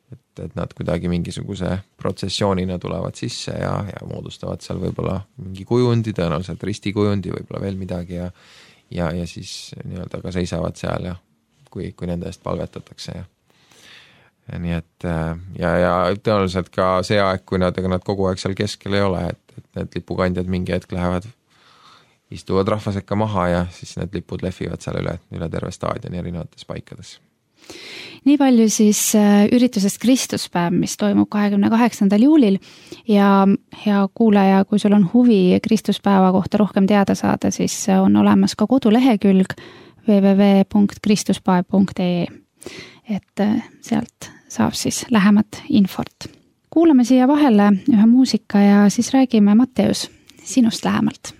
et, et nad kuidagi mingisuguse protsessioonina tulevad sisse ja, ja moodustavad seal võib-olla mingi kujundi, tõenäoliselt ristikujundi, võib-olla veel midagi ja ja, ja siis nii-öelda ka seisavad seal ja kui, kui nende eest palvetatakse ja, ja nii et ja, ja tõenäoliselt ka see aeg, kui nad, ega nad kogu aeg seal keskel ei ole, et, et need lipukandjad mingi hetk lähevad, istuvad rahvasekka maha ja siis need lipud lehvivad seal üle, üle terve staadioni erinevates paikades. Nii palju siis üritusest Kristuspäev, mis toimub kahekümne kaheksandal juulil ja hea kuulaja, kui sul on huvi Kristuspäeva kohta rohkem teada saada, siis on olemas ka kodulehekülg double-u double-u double-u punkt kristuspäev punkt e e, et sealt saab siis lähemat infot. Kuulame siia vahele ühe muusika ja siis räägime, Matteus, sinust lähemalt.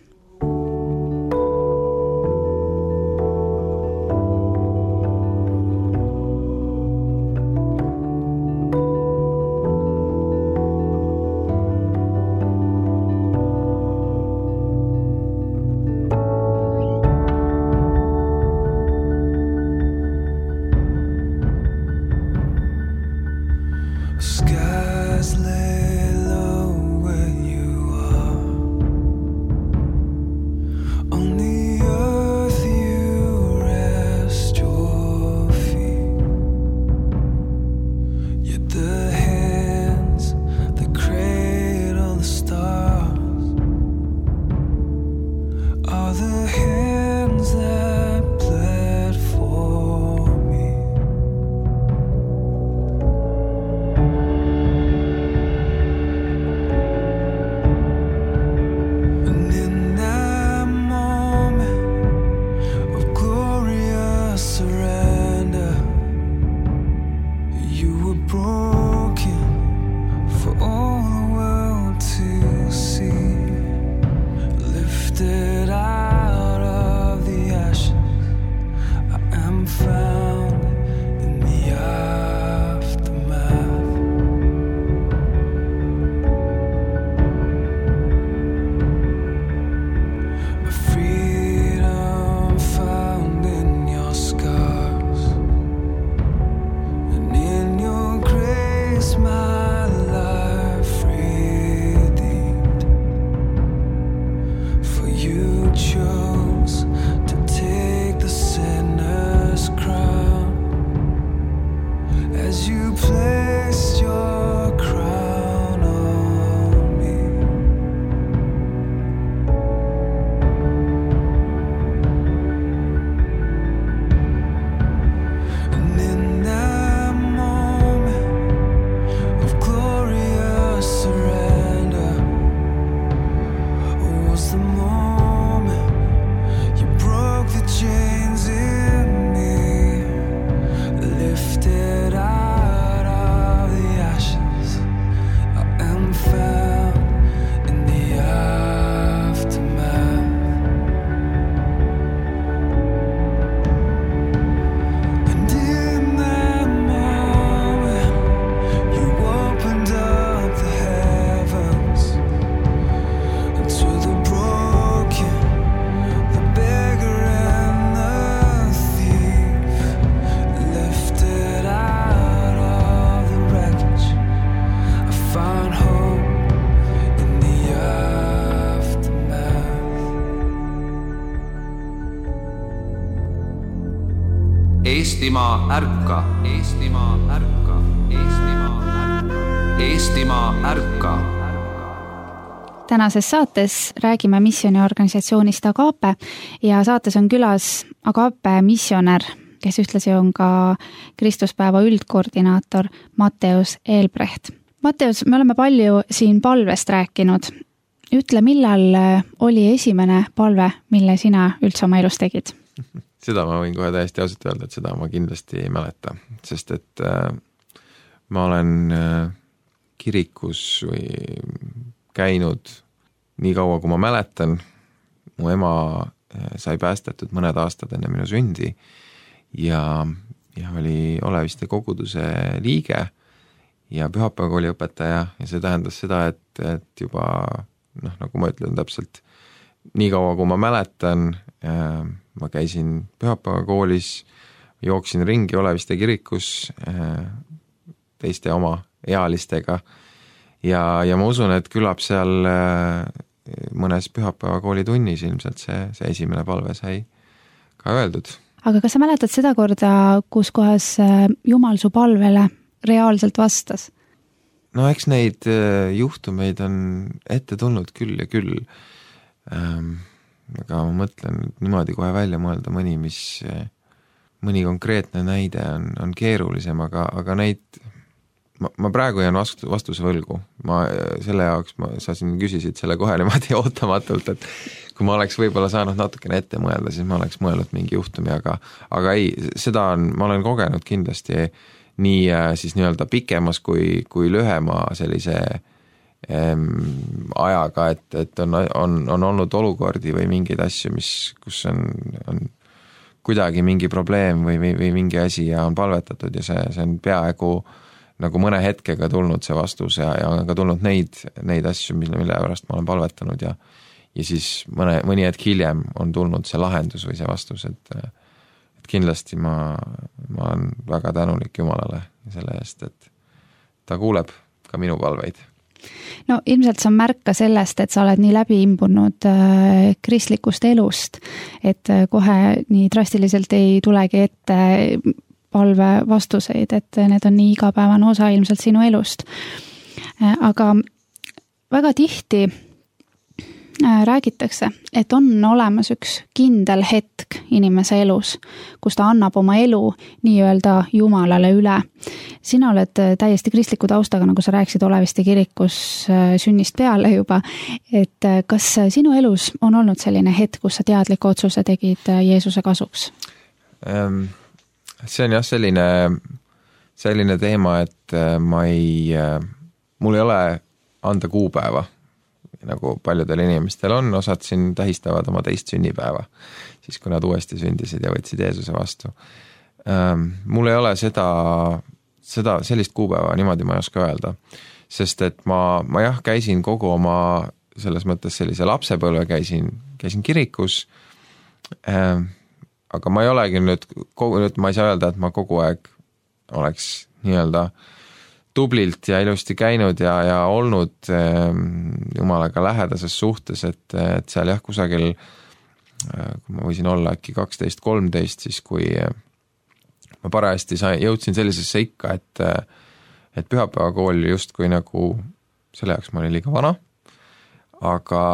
Eestimaa ärka, Eestimaa ärka, Eestimaa ärka, Eestimaa ärka. tänases saates räägime missioniorganisatsioonist Agape ja saates on külas Agape missionär, kes ühtlasi on ka Kristuspäeva üldkoordinaator Matteus Eelbrecht. Matteus, me oleme palju siin palvest rääkinud. Ütle, millal oli esimene palve, mille sina üldse oma elus tegid? Seda ma võin kohe täiesti ausalt öelda, et seda ma kindlasti ei mäleta, sest et äh, ma olen äh, kirikus või käinud nii kaua, kui ma mäletan. Mu ema sai päästetud mõned aastad enne minu sündi ja, ja oli Oleviste koguduse liige ja pühapäevakooli õpetaja ja see tähendas seda, et, et juba, noh, nagu ma ütlen täpselt, nii kaua, kui ma mäletan, äh, ma käisin pühapäevakoolis, jooksin ringi Oleviste kirikus äh, teiste oma ealistega ja, ja ma usun, et küllap seal äh, mõnes pühapäevakooli tunnis ilmselt see, see esimene palve sai ka öeldud. Aga kas sa mäletad seda korda, kus kohas Jumal su palvele reaalselt vastas? No eks neid juhtumeid on ette tulnud küll ja küll. Ähm, aga ma mõtlen niimoodi kohe välja mõelda mõni, mis, mõni konkreetne näide on, on keerulisem, aga, aga neid, ma, ma praegu jään vastu, vastuse võlgu. Ma selle jaoks, ma, sa siin küsisid selle kohe niimoodi ootamatult, et kui ma oleks võib-olla saanud natukene ette mõelda, siis ma oleks mõelnud mingi juhtumi, aga, aga ei, seda on, ma olen kogenud kindlasti nii siis nii-öelda pikemas kui, kui lühema sellise ajaga, et, et on, on, on olnud olukordi või mingeid asju, mis, kus on, on kuidagi mingi probleem või, või, või mingi asi ja on palvetatud ja see, see on peaaegu nagu mõne hetkega tulnud see vastus ja, ja on ka tulnud neid, neid asju, mille, mille pärast ma olen palvetanud ja, ja siis mõne, mõni hetk hiljem on tulnud see lahendus või see vastus, et, et kindlasti ma, ma olen väga tänulik Jumalale selle eest, et ta kuuleb ka minu palveid. No ilmselt see on märk ka sellest, et sa oled nii läbi imbunud äh, kristlikust elust, et äh, kohe nii drastiliselt ei tulegi ette palve vastuseid, et need on nii igapäevane osa ilmselt sinu elust. Äh, aga väga tihti äh, räägitakse, et on olemas üks kindel hetk inimese elus, kus ta annab oma elu nii-öelda Jumalale üle. Sina oled täiesti kristliku taustaga, nagu sa rääkisid Oleviste kirikus sünnist peale juba, et kas sinu elus on olnud selline hetk, kus sa teadliku otsuse tegid Jeesuse kasuks? See on jah selline, selline teema, et ma ei, mul ei ole anda kuupäeva, nagu paljudel inimestel on, osad siin tähistavad oma teist sünnipäeva, siis kui nad uuesti sündisid ja võtsid Jeesuse vastu. Mul ei ole seda, seda sellist kuupäeva, niimoodi ma ei oska öelda, sest et ma, ma jah, käisin kogu oma selles mõttes sellise lapsepõlve, käisin, käisin kirikus, aga ma ei olegi nüüd, nüüd ma ei saa öelda, et ma kogu aeg oleks nii-öelda tublilt ja ilusti käinud ja, ja olnud Jumalaga lähedases suhtes, et, et seal jah, kusagil, kui ma võisin olla äkki kaksteist kolmteist, siis kui ma parajasti sain, jõudsin sellisesse ikka, et, et pühapäevakool just kui nagu, selle jaoks ma olin liiga vana, aga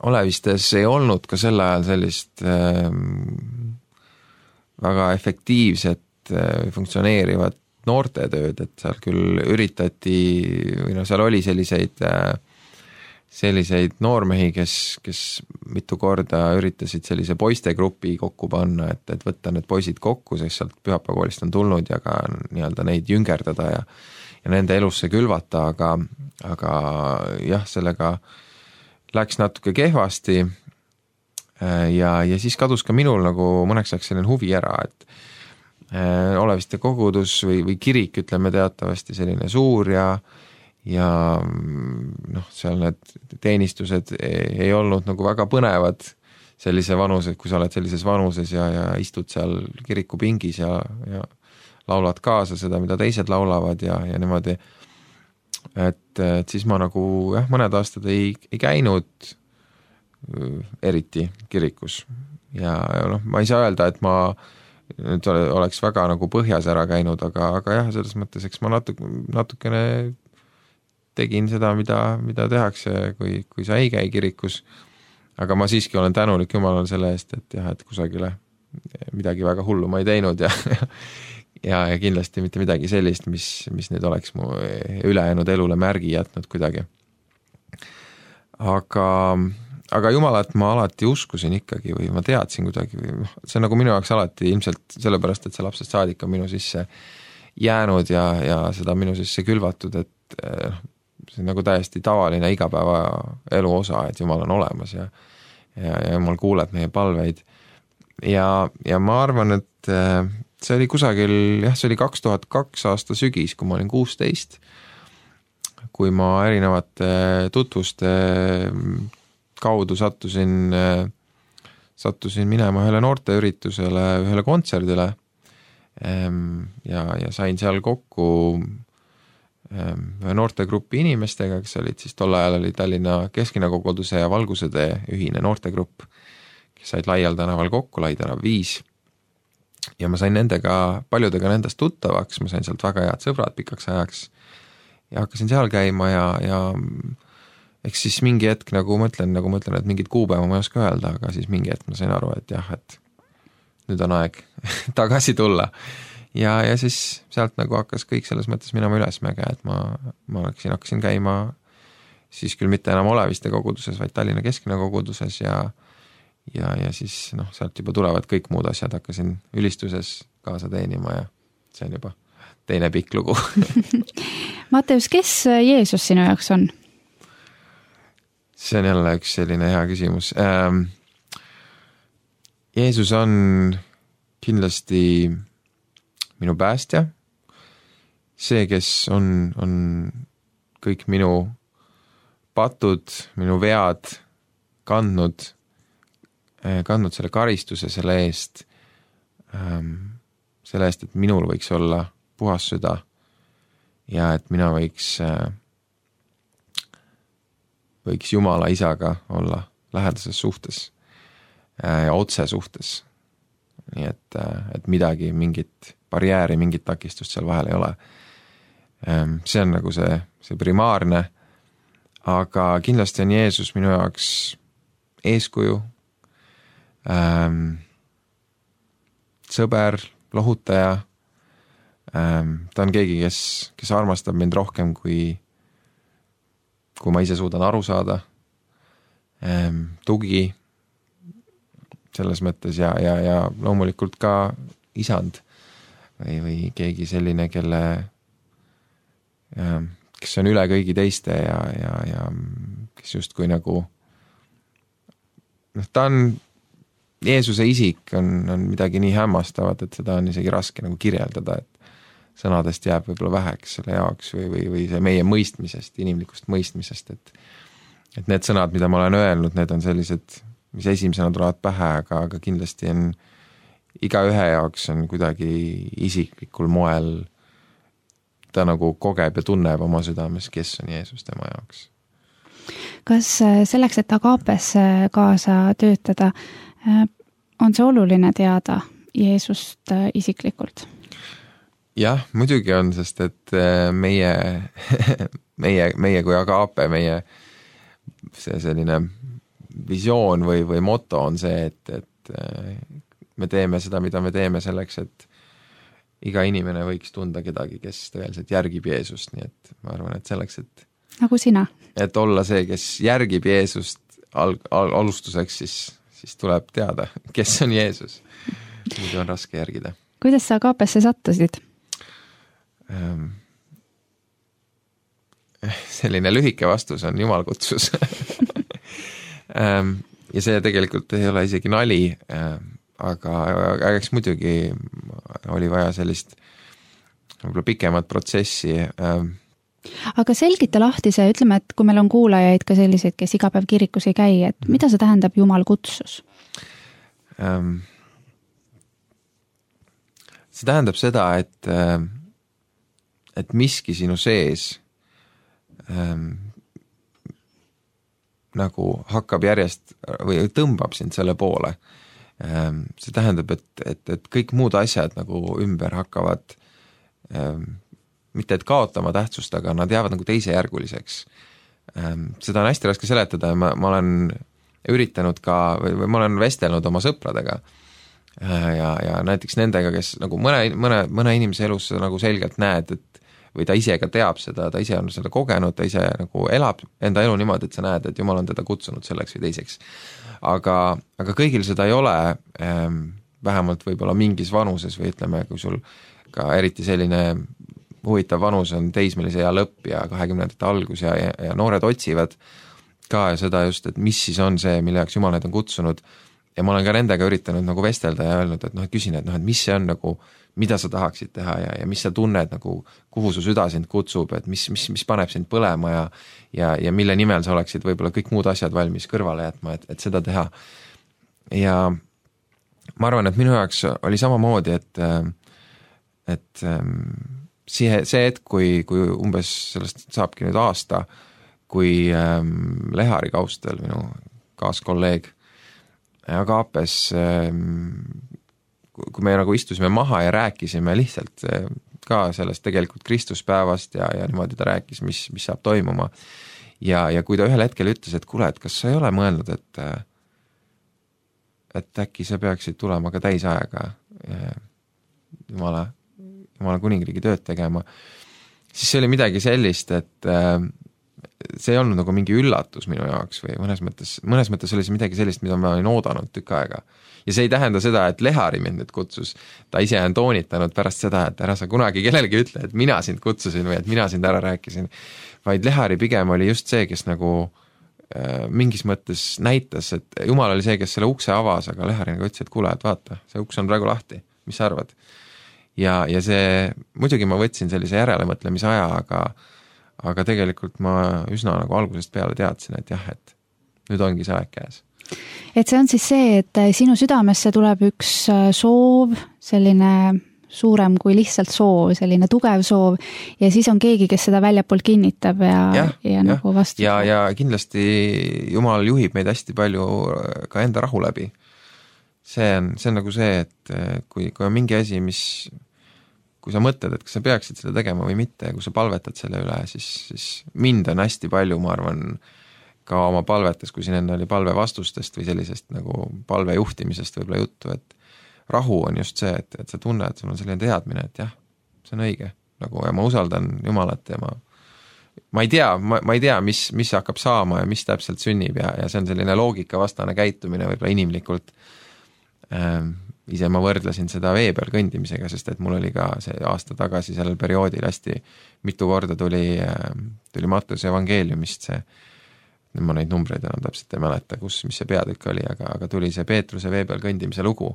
Olevistes ei olnud ka sel ajal sellist äh, väga efektiivset äh, funktsioneerivat noortetööd, et seal küll üritati, või no seal oli selliseid, selliseid noormehi, kes, kes mitu korda üritasid sellise poistegrupi kokku panna, et, et võtta need poisid kokku, sest sealt pühapäevakoolist on tulnud ja ka nii-öelda neid jüngerdada ja, ja nende elusse külvata, aga, aga jah, sellega läks natuke kehvasti ja, ja siis kadus ka minul nagu mõneks ajaks selline huvi ära, et Oleviste kogudus või, või kirik, ütleme teatavasti selline suur ja, ja noh, seal need teenistused ei, ei olnud nagu väga põnevad sellise vanuse, kui sa oled sellises vanuses ja, ja istud seal kirikupingis ja, ja laulad kaasa seda, mida teised laulavad ja, ja niimoodi, et, et siis ma nagu jah, mõned aastad ei, ei käinud eriti kirikus ja noh, ma ei saa öelda, et ma nüüd oleks väga nagu põhjas ära käinud, aga, aga jah, selles mõttes, eks ma natuke, natukene tegin seda, mida, mida tehakse, kui, kui sa ei käi kirikus, aga ma siiski olen tänulik Jumalale selle eest, et jah, et kusagile midagi väga hullu ma ei teinud ja ja, ja kindlasti mitte midagi sellist, mis, mis nüüd oleks mu ülejäänud elule märgi jätnud kuidagi. Aga, aga Jumalat ma alati uskusin ikkagi või ma teadsin kuidagi või see on nagu minu jaoks alati ilmselt sellepärast, et see lapsest saadik on minu sisse jäänud ja, ja seda minu sisse külvatud, et see on nagu täiesti tavaline igapäeva elu osa, et Jumal on olemas ja, ja, ja Jumal kuuleb meie palveid. Ja, ja ma arvan, et see oli kusagil, jah, see oli kaks tuhat kaks aasta sügis, kui ma olin kuusteist, kui ma erinevate tutvuste kaudu sattusin, sattusin minema ühele noorteüritusele, ühele kontserdile ja, ja sain seal kokku ühe noortegrupi inimestega, kes olid siis tol ajal oli Tallinna Keskkonnakoguduse ja Valgusede ühine noortegrupp, kes said Laial tänaval kokku, Lai tänav viis. Ja ma sain nendega, paljudega nendest tuttavaks, ma sain sealt väga head sõbrad pikaks ajaks ja hakkasin seal käima ja, ja eks siis mingi hetk, nagu mõtlen, nagu mõtlen, et mingid kuupäeva ma ei oska öelda, aga siis mingi hetk ma sain aru, et jah, et nüüd on aeg tagasi tulla. Ja, ja siis sealt nagu hakkas kõik selles mõttes minema ülesmäge, et ma, ma hakkasin, hakkasin käima siis küll mitte enam Oleviste koguduses, vaid Tallinna Keskkonna-koguduses ja ja, ja siis noh, sealt juba tulevad kõik muud asjad, hakkasin ülistuses kaasa teenima ja see on juba teine pikk lugu. Matteus, kes Jeesus sinu jaoks on? See on jälle üks selline hea küsimus. Ähm, Jeesus on kindlasti minu päästja, see, kes on, on kõik minu patud, minu vead kandnud, kandnud selle karistuse selle eest, selle eest, et minul võiks olla puhas süda ja et mina võiks, võiks Jumala isaga olla lähedases suhtes ja otse suhtes. Nii et, et midagi, mingit barjääri, mingit takistust seal vahel ei ole. See on nagu see, see primaarne, aga kindlasti on Jeesus minu jaoks eeskuju, Ähm, sõber, lohutaja, ähm, ta on keegi, kes, kes armastab mind rohkem, kui, kui ma ise suudan aru saada, ähm, tugi selles mõttes ja, ja, ja loomulikult ka isand või, või keegi selline, kelle, ähm, kes on üle kõigi teiste ja, ja, ja kes justkui nagu noh, ta on Jeesuse isik on, on midagi nii hämmastavat, et seda on isegi raske nagu kirjeldada, et sõnadest jääb võib-olla väheks selle jaoks või, või, või see meie mõistmisest, inimlikust mõistmisest, et, et need sõnad, mida ma olen öelnud, need on sellised, mis esimesena tulevad pähe, aga, aga kindlasti on iga ühe jaoks on kuidagi isiklikul moel ta nagu kogeb ja tunneb oma südames, kes on Jeesus tema jaoks. Kas selleks, et Agapes kaasa töötada, on see oluline teada Jeesust isiklikult? Jah, muidugi on, sest et meie, meie, meie kui Agape, meie see selline visioon või, või moto on see, et, et me teeme seda, mida me teeme selleks, et iga inimene võiks tunda kedagi, kes tõeliselt järgib Jeesust, nii et ma arvan, et selleks, et nagu sina. Et olla see, kes järgib Jeesust al, al, alustuseks, siis siis tuleb teada, kes on Jeesus. Muidu on raske järgida. Kuidas sa Agapesse sattusid? Ähm, selline lühike vastus on Jumal kutsus. ähm, ja see tegelikult ei ole isegi nali, ähm, aga, aga eks muidugi oli vaja sellist võib-olla pikemat protsessi. Ähm, Aga selgita lahti see, ütleme, et kui meil on kuulajaid ka selliseid, kes iga päev kirikus ei käi, et mida see tähendab Jumal kutsus? Ähm, see tähendab seda, et, et miski sinu sees ähm, nagu hakkab järjest või tõmbab sind selle poole. Ähm, see tähendab, et, et, et kõik muud asjad nagu ümber hakkavad ähm, mitte et kaotama tähtsust, aga nad jäävad nagu teisejärguliseks. Seda on hästi raske seletada ja ma, ma olen üritanud ka, või ma olen vestelnud oma sõpradega ja, ja näiteks nendega, kes nagu mõne, mõne, mõne inimese elus nagu selgelt näed, et või ta ise ka teab seda, ta ise on seda kogenud, ta ise nagu elab enda elu niimoodi, et sa näed, et Jumal on teda kutsunud selleks või teiseks. Aga, aga kõigil seda ei ole, vähemalt võib-olla mingis vanuses või ütleme, kui sul ka eriti selline huvitav vanus on teismelise ea lõpp ja kahekümnendate algus ja, ja, ja noored otsivad ka seda just, et mis siis on see, mille jaoks Jumal need on kutsunud ja ma olen ka nendega üritanud nagu vestelda ja öelnud, et noh, et küsin, et noh, et mis see on nagu, mida sa tahaksid teha ja, ja mis sa tunned nagu, kuhu su süda sind kutsub, et mis, mis, mis paneb sind põlema ja, ja, ja mille nimel sa oleksid võib-olla kõik muud asjad valmis kõrvale jätma, et, et seda teha. Ja ma arvan, et minu jaoks oli samamoodi, et, et see, see hetk, kui, kui umbes sellest saabki nüüd aasta, kui ähm, Lehari Kaustel, minu kaaskolleeg Agapes, ähm, kui me nagu istusime maha ja rääkisime lihtsalt äh, ka sellest tegelikult Kristuspäevast ja, ja niimoodi ta rääkis, mis, mis saab toimuma. Ja, ja kui ta ühel hetkel ütles, et kuule, et kas sa ei ole mõelnud, et, et äkki sa peaksid tulema ka täisaega Jumala Jumala kuningriigi tööd tegema, siis see oli midagi sellist, et see ei olnud nagu mingi üllatus minu jaoks või mõnes mõttes, mõnes mõttes oli see midagi sellist, mida ma olin oodanud tükk aega. Ja see ei tähenda seda, et Lehari mind nüüd kutsus, ta ise on toonitanud pärast seda, et ära sa kunagi kellelegi ütle, et mina sind kutsusin või et mina sind ära rääkisin, vaid Lehari pigem oli just see, kes nagu äh, mingis mõttes näitas, et Jumal oli see, kes selle ukse avas, aga Lehari nagu ütles, et kuule, et vaata, see uks on praegu lahti, mis sa arvad? Ja, ja see, muidugi ma võtsin sellise järelemõtlemise aja, aga, aga tegelikult ma üsna nagu algusest peale teadsin, et jah, et nüüd ongi see aeg käes. Et see on siis see, et sinu südamesse tuleb üks soov, selline suurem kui lihtsalt soov, selline tugev soov ja siis on keegi, kes seda väljapool kinnitab ja, ja, ja, ja nagu vastu. Ja, ja kindlasti Jumal juhib meid hästi palju ka enda rahu läbi. See on, see on nagu see, et kui, kui on mingi asi, mis, kui sa mõtled, et kas sa peaksid seda tegema või mitte, ja kui sa palvetad selle üle, siis, siis mind on hästi palju, ma arvan, ka oma palvetes, kui siin enne oli palve vastustest või sellisest nagu palve juhtimisest võib-olla juttu, et rahu on just see, et, et sa tunned, et sul on selline teadmine, et jah, see on õige, nagu ja ma usaldan Jumalat ja ma, ma ei tea, ma, ma ei tea, mis, mis hakkab saama ja mis täpselt sünnib ja, ja see on selline loogikavastane käitumine võib-olla inimlikult. Ähm, ise ma võrdlesin seda vee peal kõndimisega, sest et mul oli ka see aasta tagasi sellel perioodil hästi mitu korda tuli, tuli Mattuse evangeeliumist see, nüüd ma neid numbreid enam täpselt ei mäleta, kus, mis see peatükk oli, aga, aga tuli see Peetruse vee peal kõndimise lugu.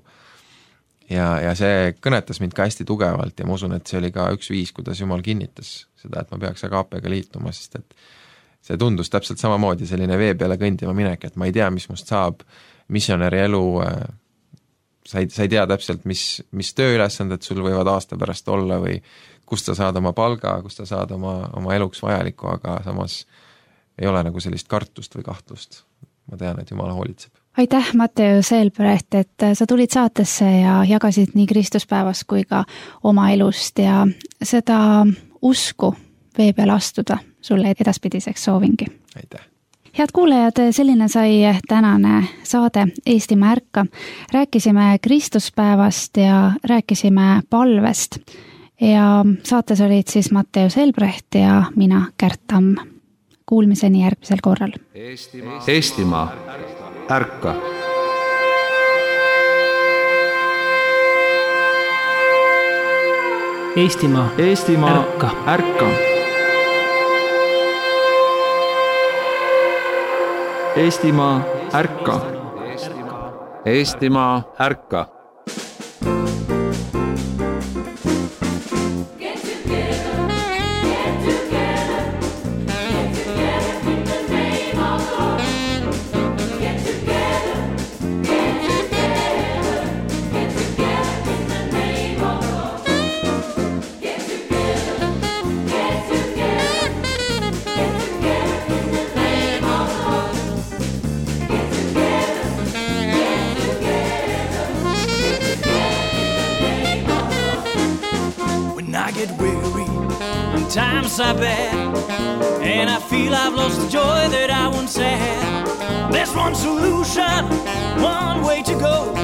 Ja, ja see kõnetas mind ka hästi tugevalt ja ma usun, et see oli ka üks viis, kuidas Jumal kinnitas seda, et ma peaks Agapega liituma, sest et see tundus täpselt samamoodi selline vee peale kõndima minek, et ma ei tea, mis must saab, missionäri elu, sa ei, sa ei tea täpselt, mis, mis tööülesanded sul võivad aasta pärast olla või kust sa saad oma palga, kust sa saad oma, oma eluks vajalikku, aga samas ei ole nagu sellist kartust või kahtlust. Ma tean, et Jumal hoolitseb. Aitäh, Matteo Selbrecht, et sa tulid saatesse ja jagasid nii Kristuspäevast kui ka oma elust ja seda usku vee peal astuda sulle edaspidiseks soovingi. Aitäh! Head kuulajad, selline sai tänane saade Eestimaa ärka. Rääkisime Kristuspäevast ja rääkisime palvest. Ja saates olid siis Matteo Selbrecht ja mina, Kärt Tamm. Kuulmiseni järgmisel korral. Eestimaa, Eestimaa ärka. Eestimaa, Eestimaa ärka. ärka. Eestimaa ärka. Eestimaa ärka. times are bad, and I feel I've lost the joy that I once had. There's one solution, one way to go.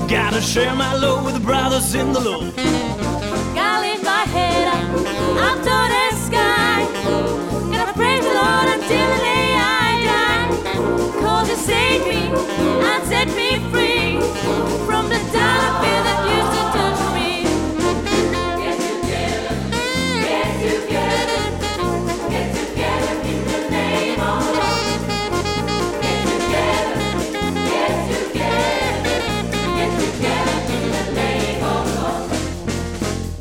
Gotta share my load with the brothers in the Lord. Gotta lift my head up, up to the sky. Gotta praise the Lord until the day I die. Cause He saved me and set me free from the dark of fear that used to touch me. Get together, get together, get together in the name of love. Get together, get together, get together in the name of love.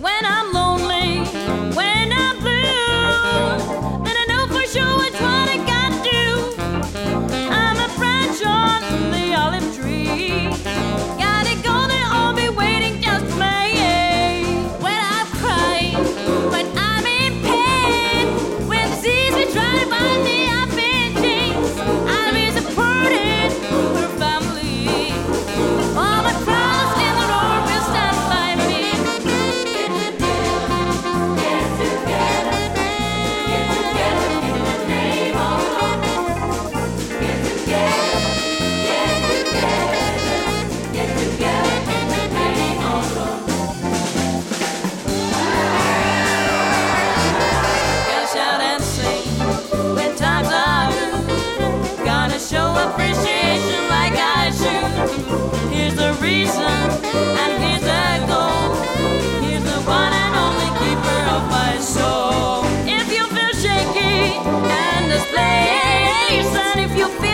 When I'm lonely, when I'm blue, then I know for sure which one I gotta do. I'm a branch on the olive tree. Gotta go there, I'll be waiting just for me. When I'm crying, when I'm in pain, when the seas will try to bind me up in chains, I'll be supported for a family. All my brothers in the Lord will stand by me. Get together, get together, get together in the name of love. Get together, get together, get together in the name of love. Gotta shout and sing when times are good. Gotta show appreciation like I should. Here's the reason and here's the goal. Here's the one and only keeper of my soul. If you feel shaky and this place, and if you feel